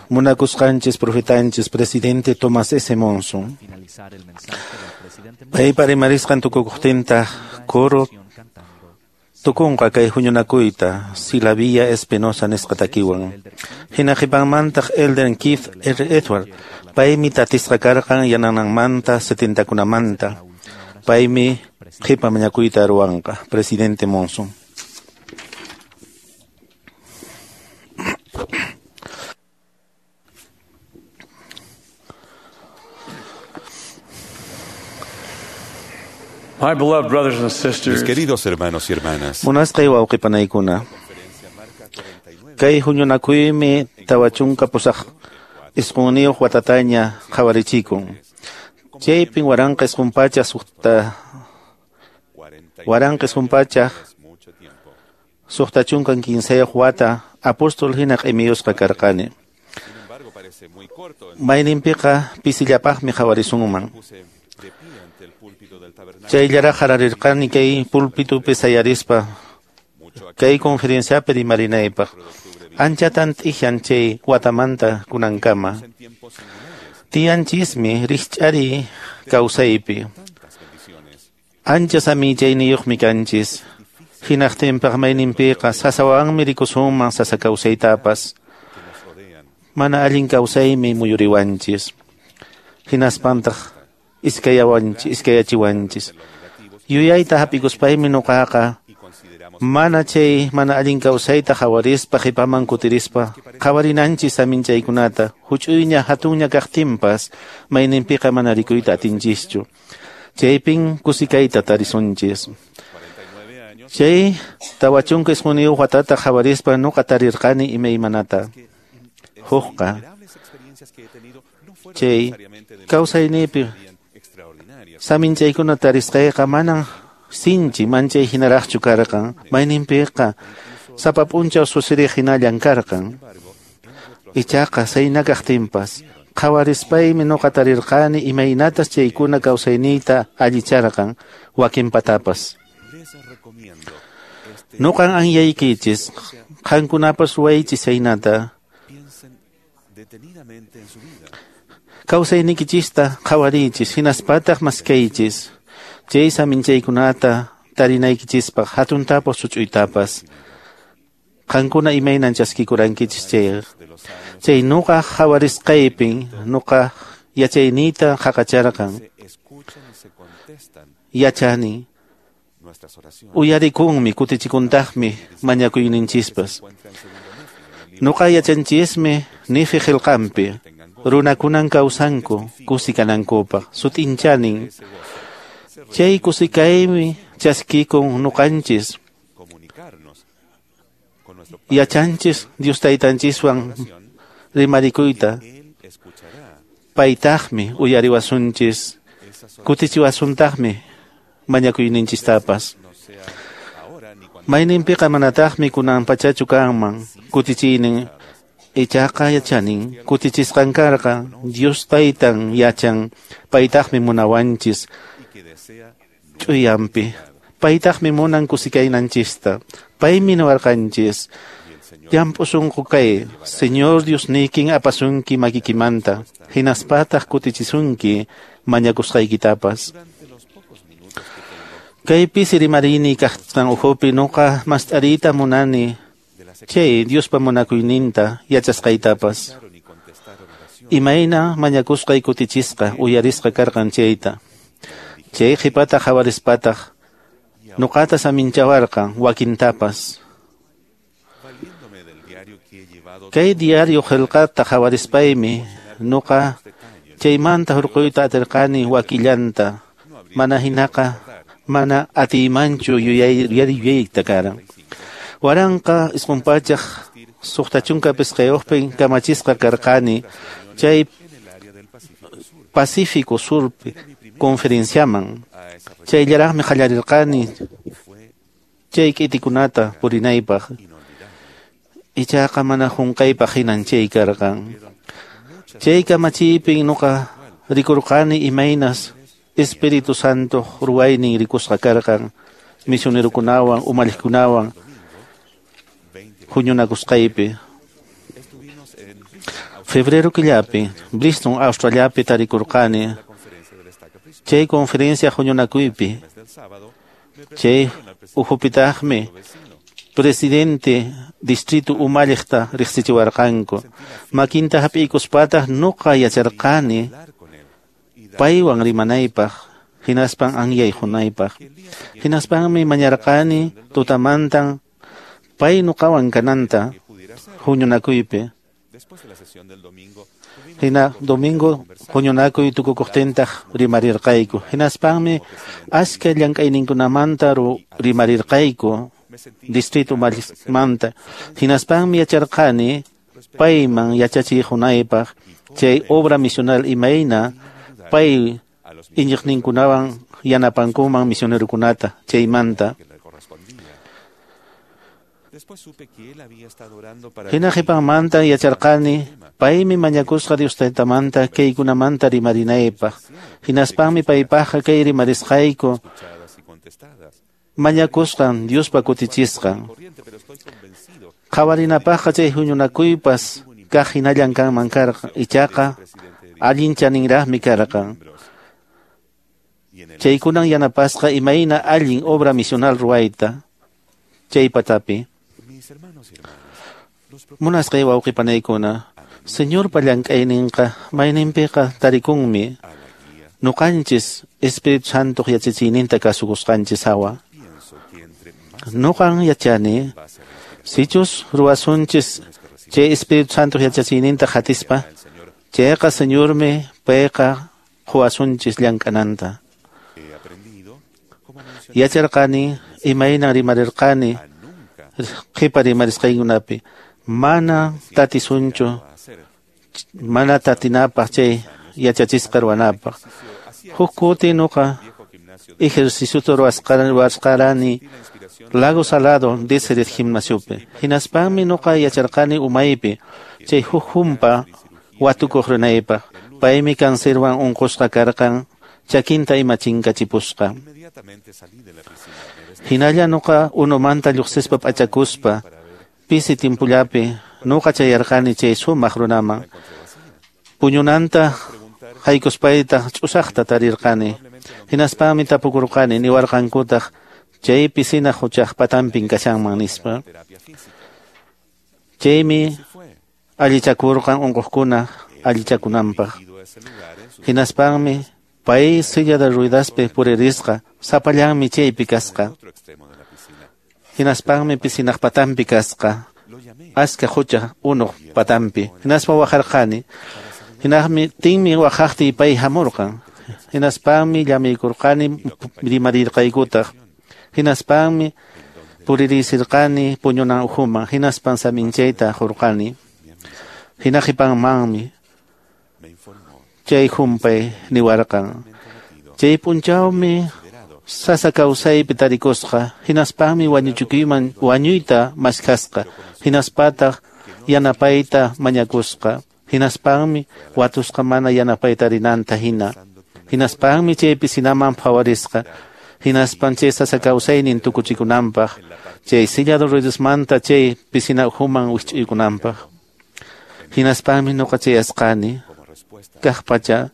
munakusqanchis profetanchis presidente Thomas S. Monson. Paypa rimarisqan tukukuqtintaq kuru tukunqa kay huñunakuyta Silavia Espinosa nisqa takiwan. Hina qhipanmantaq Elder Keith R. Edward paymi tatisqa karqan yanananmanta 70kunamanta. Paymi qhipa mañakuyta ruwanqa presidente Monson. My beloved brothers and sisters, Mis queridos hermanos y hermanas, Munasqay wawqipanaykuna. Kay huñunakuymi 49 watataña qhawarichikun. Chaypin 1963 wata apóstol hina q'imiyusqa karqani. Mayninpiqa pisillapaqmi qhawarisunman. Chayllaraq hararirqani kay pulpitupi sayarispa kay conferenciapi rimarinaypaq. Anchatan t'ihan chay watamanta kunankama. Tiyanchismi rikch'ari kawsaypi. Ancha samichayniyuqmi kanchis. Hinaqtinpaq mayninpiqa sasawanmi rikusunman sasa kawsaytapas. Mana allin kawsaymi muyuriwanchis. Hinaspantaq iskayachiwanchis. Yuyayta hap'ikuspaymi nuqaqa mana chay mana allin kawsayta qhawarispa qhipaman kutirispa qhawarinanchis saminchaykunata huch'uyña hatunña kaqtinpas mayninpiqa mana rikuyta atinchischu. Chaypin kusikayta tarisunchis. Chay 49 watata qhawarispa nuqa tarirqani imaymanata. Hukqa chay kawsaynipi saminchaykuna tarisqayqa manan sinchi manchay hinaraqchu karqan. Mayninpiqa sapa p'unchaw susiriq hinallan karqan. Ichaqa sayna kaqtinpas qhawarispaymi nuqa tarirqani imaynatas chaykuna kawsayniyta allicharqan wakinpatapas. Nuqan anyaykichis qankunapas ruwaychis saynata. Kawsaynikichista qhawariychis hinaspataq maskaychis chay saminchaykunata tarinaykichispaq hatuntapas huch'uytapas. Qankuna imaynan chaskikurankichis chay. Chay nuqa qhawarisqaypin nuqa yachayniyta qhaqacharqan. Yachani uyarikunmi kutichikuntaqmi mañakuyninchispas. Nuqa yachanchismi Nefi qillqanpi runakunan kawsanku kusikanankupaq sut'inchanin. Chay kusikaymi chaskikun nuqanchis. Yachanchis Dios taytanchiswan rimarikuyta. Paytaqmi uyariwasunchis kutichiwasuntaqmi mañakuyninchistapas. Mayninpiqa manataqmi kunan pachachu kanman kutichiynin. Ichaqa yachanin kutichisqan karqa Dios taytan yachan paytaqmi munawanchis ch'uyanpi. Paytaqmi munan kusikaynanchista. Paymi niwarqanchis llamp'u sunqu kay Señor Diosniykin apasunki makikimanta hinaspataq kutichisunki mañakusqaykitapas. Kay pisi rimarini kaqtan ukhupi nuqa mast'ariyta munani chay Diospa munakuyninta yachasqaytapas. Imayna mañakusqay kutichisqa uyarisqa karqan chayta. Chay qhipata qhawarispataq nuqata saminchawarqan wakintapas. Kay diario qillqata qhawarispaymi nuqa chaymanta hurquyta atirqani wakillanta. Mana hinaqa mana atiymanchu yuyayta karan. 1965 kamachisqa karqani chay Pacífico Surpi conferenciaman. Chayllaraqmi qallarirqani chay k'itikunata purinaypaq. Ichaqa mana qunqaypaq hinan chay karqan. Chay kamachiypin nuqa rikurqani imaynas Espíritu Santo ruwaynin rikusqa karqan misionerokunawan umalliqkunawan huñunakusqaypi. Febrero killapi Bristol, Australiapi tarikurqani chay conferencia huñunakuypi. Chay ukhupitaqmi presidente distrito umalliqta riqsichiwarqanku. Makinta hap'iykuspataq nuqa yacharqani paywan rimanaypaq hinaspan anyay hunaypaq. Hinaspanmi mañarqani tutamantan pay nuqawan kananta huñunakuypi. Hina domingo huñunakuy tukukuqtintaq rimarirqayku. Hinaspanmi aska llank'ayninkunamanta rimarirqayku distrito manta. Hinaspanmi yacharqani payman yachachiy hunaypaq chay obra misional imayna pay iñiqninkunawan yanapankuman misionerokunata chaymanta. Hina qhipanmanta yacharqani paymi mañakusqa Dios taytamanta kaykunamanta rimarinaypaq. Hinaspanmi paypaqqa kay rimarisqayku mañakusqan Diospa kutichisqan. Qhawarinapaqqa chay huñunakuypas kaq hinallan kanman karqan, ichaqa allin chaninraqmi karqan. Chaykunan yanapasqa imayna allin obra misional ruwayta chay patapi. Munasqay wawqipanaykuna, Señorpa llank'ayninqa mayninpiqa tarikunmi nuqanchis Espíritu Santoq yachachiyninta kasukusqanchis hawa. Nuqan yachani sichus ruwasunchis chay Espíritu Santoq yachachiyninta qatispa, chayqa Señormi payqa quwasunchis llank'ananta. Yacharqani imaynan rimarirqani qhipa rimarisqaykunapi mana tatisunchu, mana tatinapaq chay yachachisqa ruwanapaq. Huk kuti nuqa ejerciciota ruwasqarani Lago Salado Deseret gimnasiopi. Hinaspanmi nuqa yacharqani umaypi chay huk humpa watukuq rinaypaq. Paymi cancerwan unqusqa karqan, chakinta ima chinkachipusqa. Hinalla nuqa unumanta lluqsispa p'achakuspa pisi timpullapi nuqa chayarqani chay sumaq runaman. Puñunanta haykuspaytaq ch'usaqta tarirqani. Hinaspanmi tapukurqani niwarqankutaq chay pisina huchaq patanpin kashanman nispa. Chaymi allichakurqan unquqkuna allichakunanpaq. Hinaspanmi pay silla de ruedaspi puririsqa, sapallanmi chaypi kasqa. Hinaspanmi pisinaq patanpi kasqa, aska hucha unuq patanpi. Hinaspa waqarqani. Hinaqmi tinmi waqaqtiy pay hamurqan. Hinaspanmi llamiykurqani rimarirqaykutaq. Hinaspanmi puririsirqani puñunan ukhuman. Hinaspan saminchayta hurqani. Hina qhipanmanmi chay humpay niwarqan. Chay p'unchawmi sasa kawsaypi tarikusqa. Hinaspanmi wañuchikuyman wañuyta maskhasqa. Hinaspataq yanapayta mañakusqa. Hinaspanmi watusqa mana yanapayta rinanta hina. Hinaspanmi chay pisinaman phawarisqa. Hinaspan chay sasa kawsaynin tukuchikunanpaq. Chay silla de ruedasmanta chay pisina ukhuman wisch'uykunanpaq. Hinaspanmi nuqa chayasqani kaq pacha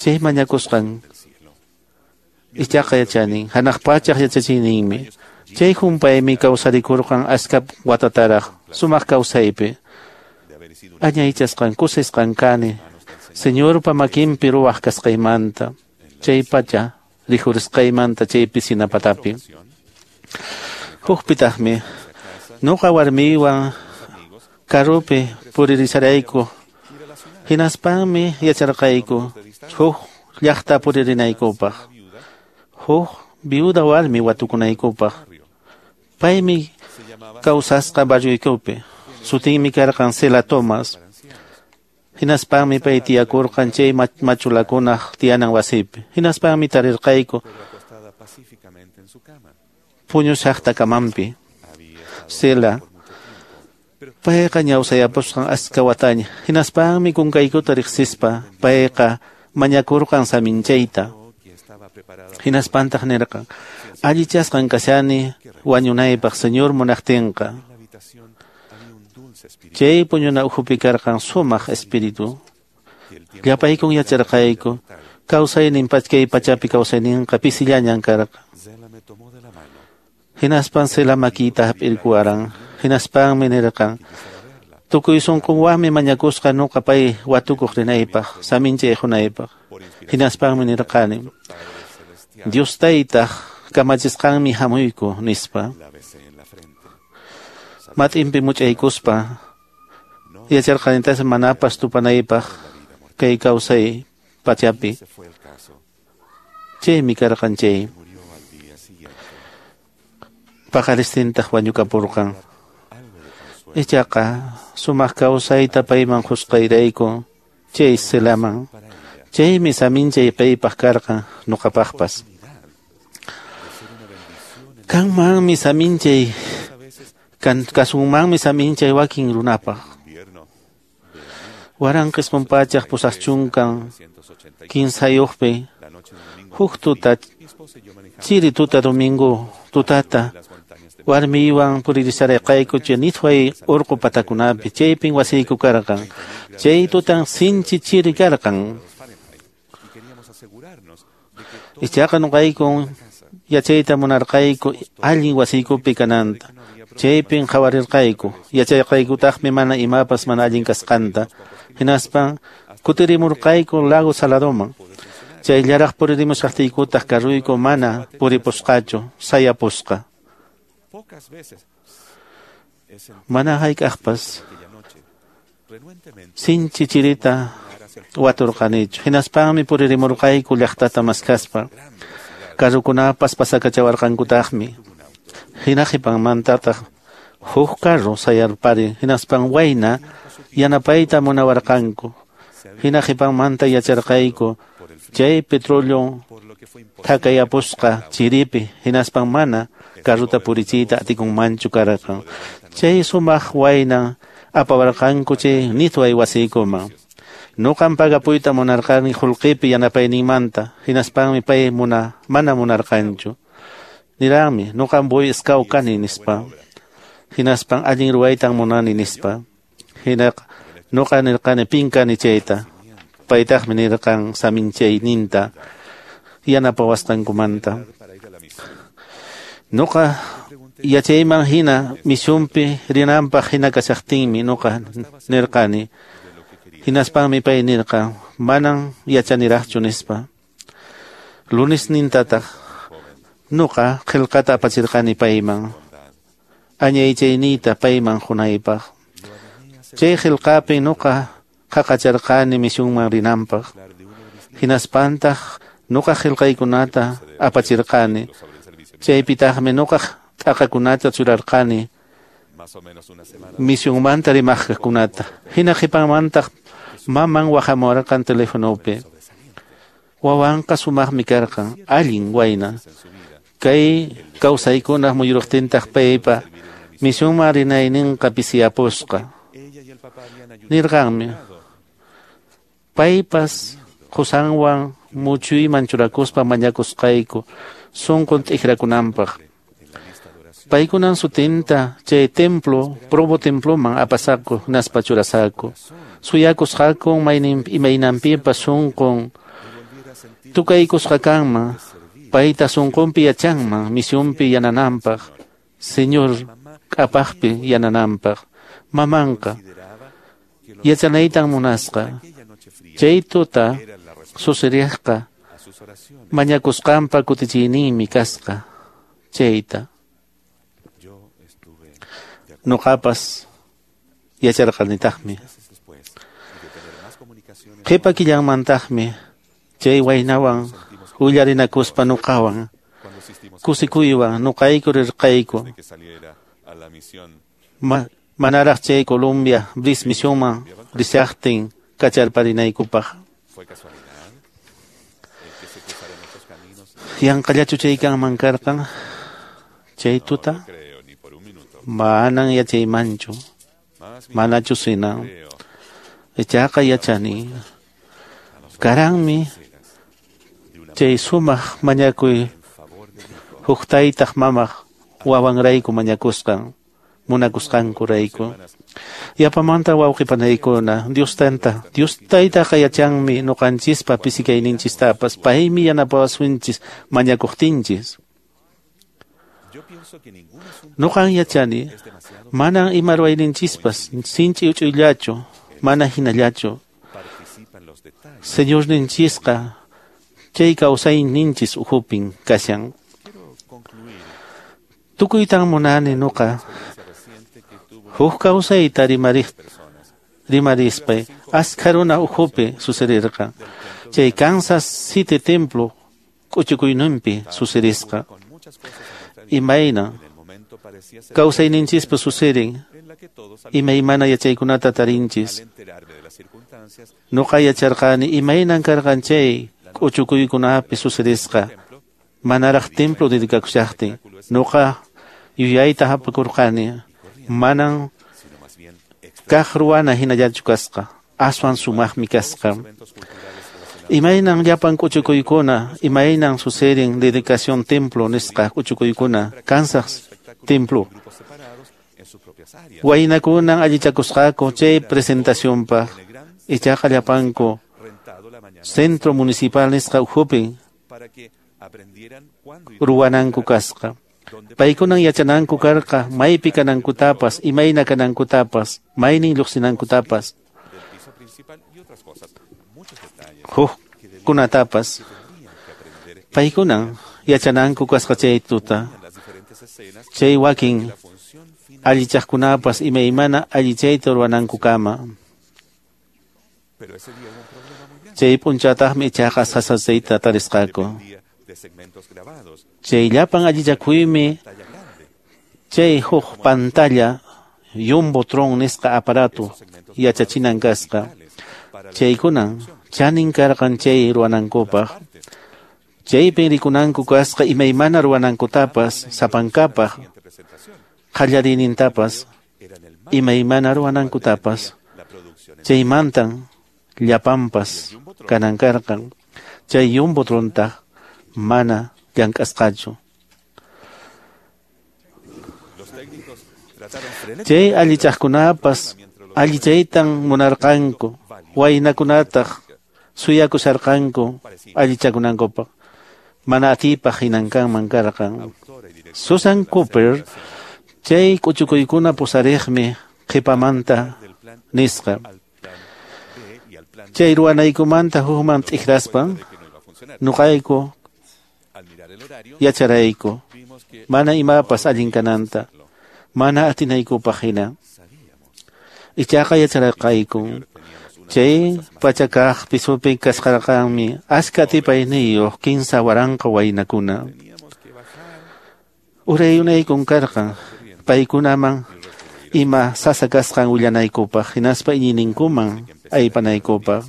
chay mañakusqan ichaqa yachanin hanaq pachaq yachachiyninmi. Chay humpaymi kawsarikurqan aska watataraq sumaq kawsaypi. Añaychasqan kusisqan kani Señorpa makinpi ruwaq kasqaymanta chay pacha rikhurisqaymanta chay pisina patapi. Hukpitaqmi nuqa warmiywan karupi puririsarayku. Hinaspanmi yacharqayku huk llaqta puririnaykupaq, huk viuda warmi watukunaykupaq. Paymi kawsasqa barrioykupi. Sutinmi karqan Cela Thomas. Hinaspanmi pay tiyakurqan chay machulakunaq tiyanan wasipi. Hinaspanmi tarirqayku puñushaqta kamanpi. Cela Payqa ñawsayapusqan aska wataña. Hinaspanmi kunkaykuta riqsispa payqa mañakurqan saminchayta. Hinaspantaq nirqan, allichasqan kashani wañunaypaq Señor munaqtinqa. Chay puñuna ukhupi karqan sumaq espíritu. Llapaykun yacharqayku, kawsaynin kay pachapi kawsayninqa pisillañan karqan. Hinaspan Zela makiyta hap'irkuwaran. Hinaspanmi nirqan, tukuy sunqunwanmi mañakusqa nuqa pay watukuq rinaypaq, saminchay qunaypaq. Hinaspanmi nirqani, Dios taytaq kamachisqanmi hamuyku, nispa. Mat'inpi much'aykuspa yacharqanitas manapas tupanaypaq kay kawsay pachapi. Chaymi karqan chay. Paqaristintaq wañukapurqan. Ichaqa sumaq kawsayta payman qusqayrayku chay Zelaman. Chaymi saminchay paypaq karqan nuqapaqpas. Kanmanmi saminchay kasunmanmi saminchay wakin runapaq. 1983-pi huk tuta chiri tuta domingo tutata warmiywan puririsharqayku chay Nithway urqu patakunapi chaypin wasiyku karqan. Chay tutan sinchi chiri karqan. Ichaqa nuqayku yachayta munarqayku allin wasiykupi kananta. Chaypin qhawarirqayku, yacharqaykutaqmi mana imapas mana allin kasqanta. Hinaspan kutirimurqayku Lago Saladoman. Chayllaraq puririmushaqtiykutaq carruyku mana puripusqachu, sayapusqa. Mana hayk'aqpas sinchi chirita waturqanichu. Hinaspanmi puririmurqayku llaqtata maskaspa. Carrukunapas pasakachawarqankutaqmi. Hina qhipanmantataq huk carro sayarpari. Hinaspan wayna yanapayta munawarqanku. Hina qhipanmanta yacharqayku chay petróleo thakayapusqa chiripi. Hinaspan mana carruta purichiyta atikunmanchu karqan. Chay sumaq wayna apawarqanku chay Nithway wasiykuman. Nuqan pagapuyta munarqani qullqipi yanapayninmanta. Hinaspanmi pay mana munarqanchu. Niranmi, nuqan Boy Scout kani nispa. Hinaspan allin ruwaytan munani nispa. Hinaqa nuqa nirqani pin kani chayta. Paytaqmi nirqan saminchayninta yanapawasqankumanta. Nuqa yachayman hina misionpi rinanpaq hina kashaqtinmi nuqa nirqani. Hinaspanmi pay nirqan, manan yachaniraqchu nispa. Lunes nintataq nuqa qillqata apachirqani payman. Añaychayniyta payman qunaypaq. Chay qillqapi nuqa qaqacharqani misionman rinanpaq. Hinaspantaq nuqa qillqaykunata apachirqani. Chaypitaqmi nuqa t'aqakunata churarqani misionmanta rimaqkunata. Hina qhipanmantaq maman waqhamurqan telefonopi. Wawanqa sumaqmi karqan, allin wayna. Kay kawsaykunaq muyuruqtintaq paypa misionman rinayninqa pisiyapusqa. Nirqanmi, paypas qusanwan muchuyman churakuspa mañakusqayku sunqun t'ikrakunanpaq. Paykunan sutinta chay templo, Provo temploman apasaku hinaspa churasaku. Suyakusqaku imaynanpipas sunqun tukaykusqa kanman, payta sunqunpi yachanman misionpi yanananpaq, Señor k'apaqpi yanananpaq. Mamanqa yachanaytan munasqa. Chay tuta susiriqqa mañakusqanpa kutichiyninmi kasqa chayta. Nuqapas yacharqanitaqmi. Qhipa killanmantaqmi chay waynawan willarinakuspa nuqawan kusikuywan nuqayku rirqayku. Manaraq chay Colombia Bliss misionman rishaqtin kacharparinaykupaq. Yanqallachu chay kanman karqan chay tuta? Manan yachaymanchu. Manachu hina. Ichaqa yachani. Karanmi chay sumaq mañakuy huk taytaq mamaq wawanrayku mañakusqan, munakusqankurayku. Yapamanta wawqipanaykuna, Dios tanta, Dios taytaqa yachanmi ñuqanchispa pisikayninchistapas, paymi yanapawasunchis mañakuqtinchis. Ñuqan yachani, manan ima ruwayninchispas sinchi uch'uyllachu, mana hinallachu. Señorninchisqa chay kawsayninchis ukhupin kashan. Tukuytan munani ñuqa huk kawsayta rimarispay askha runa ukhupi sucedirqa. Chay Kansas City Templo k'uchukuyninpi sucedisqa. Imayna kawsayninchispa suceden, imaymana yachaykunata tarinchis. Ñuqa yacharqani imaynan karqan chay k'uchukuykunapi sucedisqa manaraq templo dedicakushaqtin. Ñuqa yuyayta hapakurqani manan kaq ruwana hinallachu kasqa, aswan sumaqmi kasqa. Imaynan llapan k'uchukuykuna, imaynan suceden dedicación templo nisqa k'uchukuykuna, Kansas Templo. Waynakunan allichakusqaku chay presentacionpaq, ichaqa llapanku centro municipal nisqa ukhupi ruwananku kasqa. Paykunan yachananku karqa maypi kanankutapas, imayna kanankutapas, maynin lluqsinankutapas, hukkunatapas. Paykunan yachananku kasqa chay tuta. Chay wakin allichaqkunapas imaymana allichayta ruwanankukama. Chay p'unchataqmi ichaqa sasachayta tarisqaku. Chay llapan allichakuymi chay huk pantalla Jumbotron nisqa aparato yachachinan kasqa. Chaykunan chanin karqan chay ruwanankupaq. Chaypin rikunanku kasqa imaymana ruwanankutapas, sapankapaq qallariynintapas, imaymana ruwanankutapas. Chaymantan llapanpas kanan karqan. Chay Jumbotrontaq mana llank'asqachu. Chay allichaqkunapas allichaytan munarqanku, waynakunataq suyakusharqanku allichakunankupaq. Mana atiypaq hinan kanman karqan. Susan Cooper chay k'uchukuykuna pusariqmi qhipamanta nisqa. Chay ruwanaykumanta hukman t'ikraspan ñuqayku yacharayku mana imapas allin kananta, mana atinaykupaq hina. Ichaqa yacharqayku chay pachakaq pisupi kasqarqanmi askha atipayniyuq 15,000 waynakuna. Urayunaykun karqan paykunaman ima sasa kasqan willanaykupaq, hinaspa iñiyninkuman aypanaykupaq.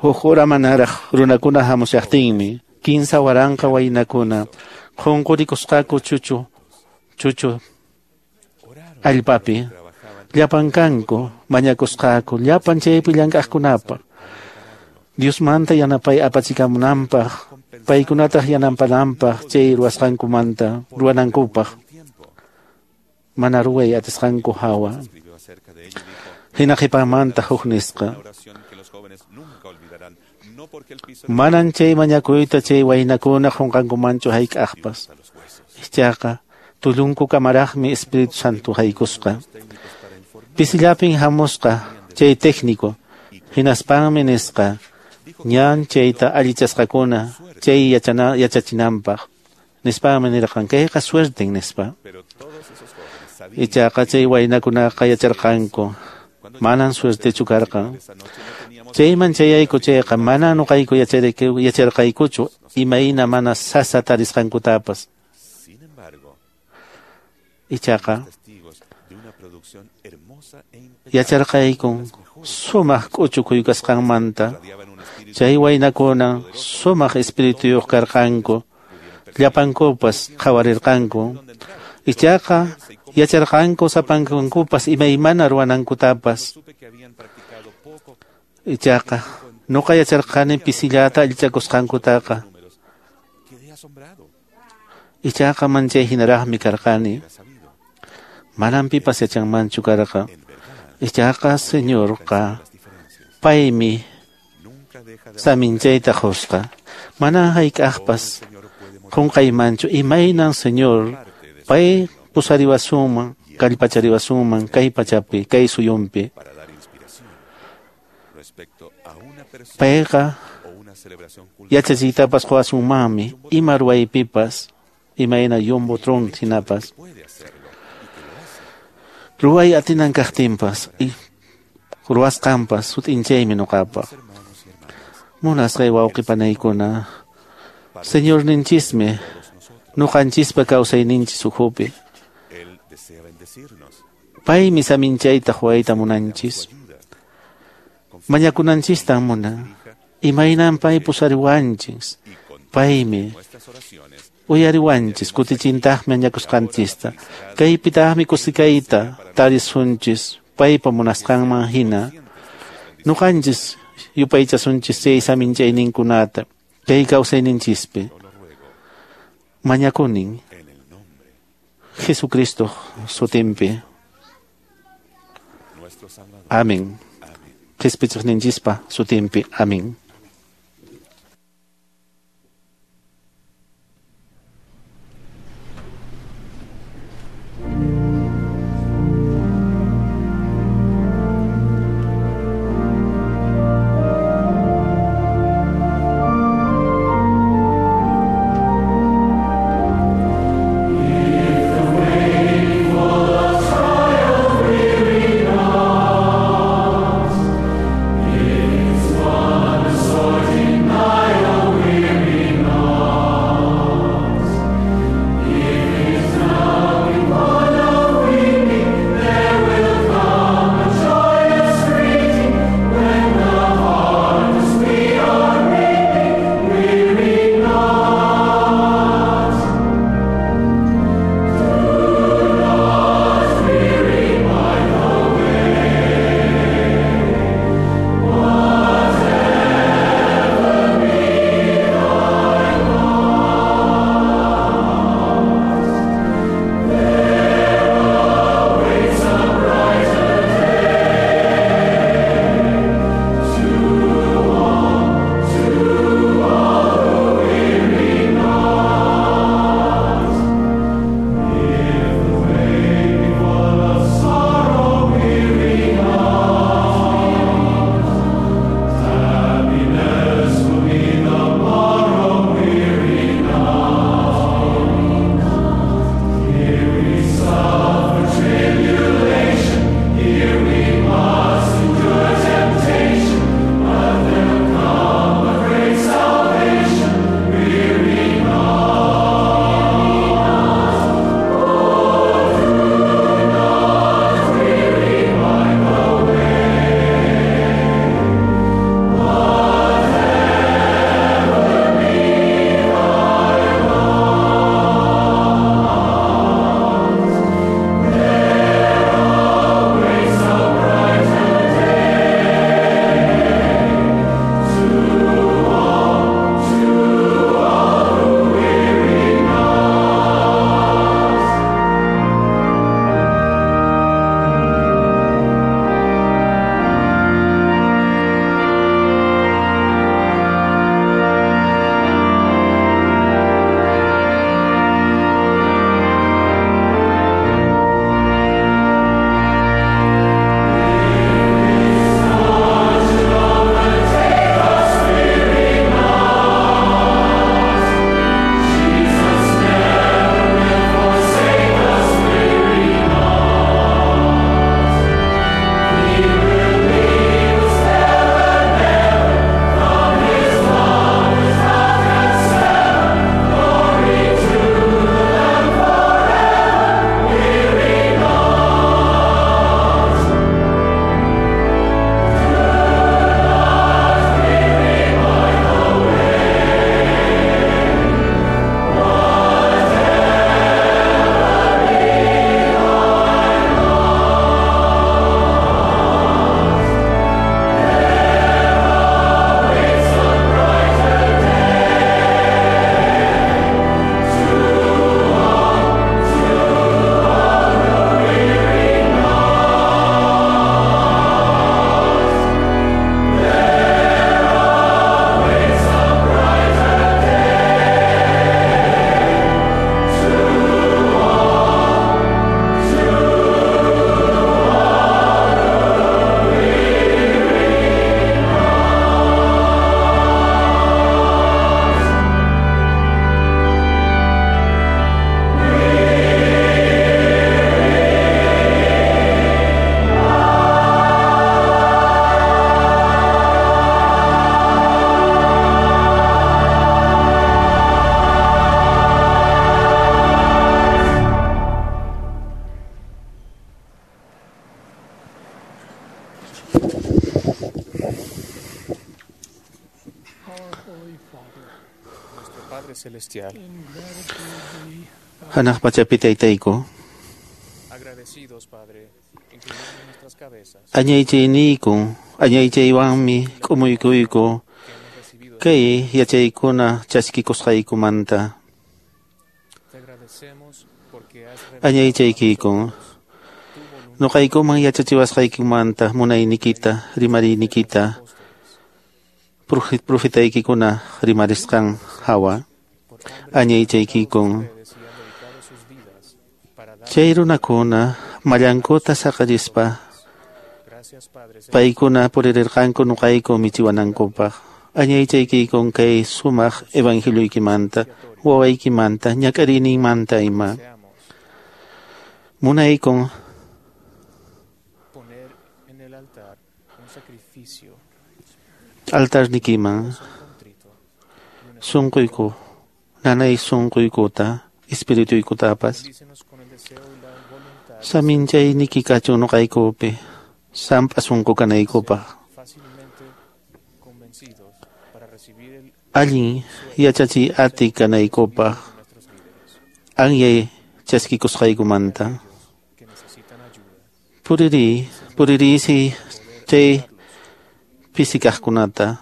Huk hora manaraq runakuna hamushaqtinmi 15,000 waynakuna qunqurikusqaku chuchu allpapi. Llapan kanku mañakusqaku llapan chaypi llank'aqkunapaq Diosmanta yanapay apachikamunanpaq, paykunataq yanapananpaq chay ruwasqankumanta ruwanankupaq mana ruway atisqanku hawa. Hina qhipamanta huk nisqa. Manan chay mañakuyta chay waynakuna qunqankumanchu hayk'aqpas. Ichaqa tullunku kamaraqmi Espíritu Santo haykusqa. Pisillapin hamusqa chay técnico, hinaspanmi nisqa ñan chayta allichasqakuna chay yachachinanpaq. Nispanmi nirqan kayqa suerten nispa. Ichaqa chay waynakunaqa yacharqanku manan suertechu karqan. Chayman chayayku chayqa mana ñuqayku yacharqaykuchu imayna mana sasa tarisqankutapas. Ichaqa yacharqaykun sumaq k'uchukuy kasqanmanta. Chay waynakuna sumaq espirituyuq karqanku, llapankupas qhawarirqanku. Ichaqa Yacharqanku sapankankupas imaymana ruwanankutapas. Ichaqa nuqa yacharqani pisillata allichakusqankutaqa. Ichaqa manchay hinaraqmi karqani. Manam pipas yachanmanchu karqa. Ichaqa Señorqa paymi saminchayta qusqa. Manam hayk'aqpas qunqaymanchu imaynan Señor pay pusariwasunman, kallpachariwasunman kay pachapi, kay suyunpi. Payqa yachachiytapas quwasunmanmi ima ruwaypipas, imayna yumbo tron hinapas. Ruway atinan kaqtinpas, ruwasqanpas sut'inchaymi nuqapaq. Munasqay wawqi panaykuna, Señorninchismi nuqanchispa kawsayninchis ukhupi. Paymi saminchayta huwayta munanchis. Mañakunanchistan munan. Imaynan pay pusariwanchis. Paymi uyariwanchis, kutichintaqmi añakusqanchista. Kaypitaqmi kusikayta tarisunchis paypa munasqanman hina. Nuqanchis yupaychasunchis chay saminchayninkunata kay kawsayninchispi. Mañakunin Jesucristo sutinpi. Amén. Qhispichiqninchispa sutinpi. Amén. If the Hanaq pachapi taytayku, añaychayniyku, añaychaywanmi k'umuykuyku kay yachaykuna chaskikusqaykumanta. Añaychaykiku, nuqaykuman yachachiwasqaykumanta munaynikita, rimariynikita, profetaykikuna rimarisqan hawa. Añaychaykikun, chay runakuna mallankuta saqarispa paykuna puririrqanku nuqayku michiwanankupaq. Añaychaykikun kay sumaq evangelioykimanta, wawaykimanta, ñak'ariyninmanta ima. Munaykun altarnikiman sunquyku, nanay sunquykuta, espirituykutapas. Saminchayniki kachun nuqaykupi, samp'a sunqu kanaykupaq. Allin yachachiy ati kanaykupaq, anyay chaskikusqaykumanta. Puririysi chay pisikaqkunata.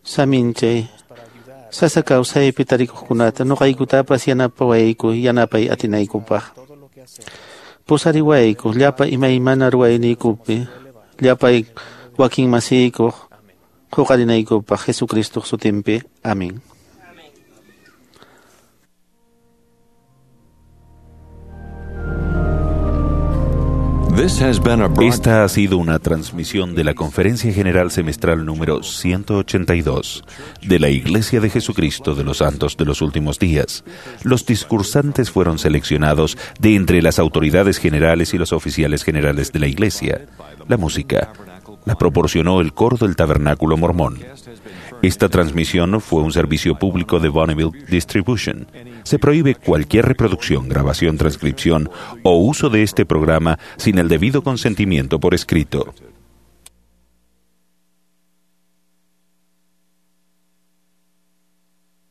Saminchay sasa kawsaypi tarikuqkunata nuqaykutapas yanapawayku yanapay atinaykupaq. Pusariwayku llapa imaymana ruwayniykupi, llapay wakin masiykuq huqarinaykupaq Jesucristoq sutinpi. Amén. Esta ha sido una transmisión de la Conferencia General Semestral número 182 de la Iglesia de Jesucristo de los Santos de los Últimos Días. Los discursantes fueron seleccionados de entre las autoridades generales y los oficiales generales de la Iglesia. La música la proporcionó el coro del Tabernáculo Mormón. Esta transmisión fue un servicio público de Bonneville Distribution. Se prohíbe cualquier reproducción, grabación, transcripción o uso de este programa sin el debido consentimiento por escrito.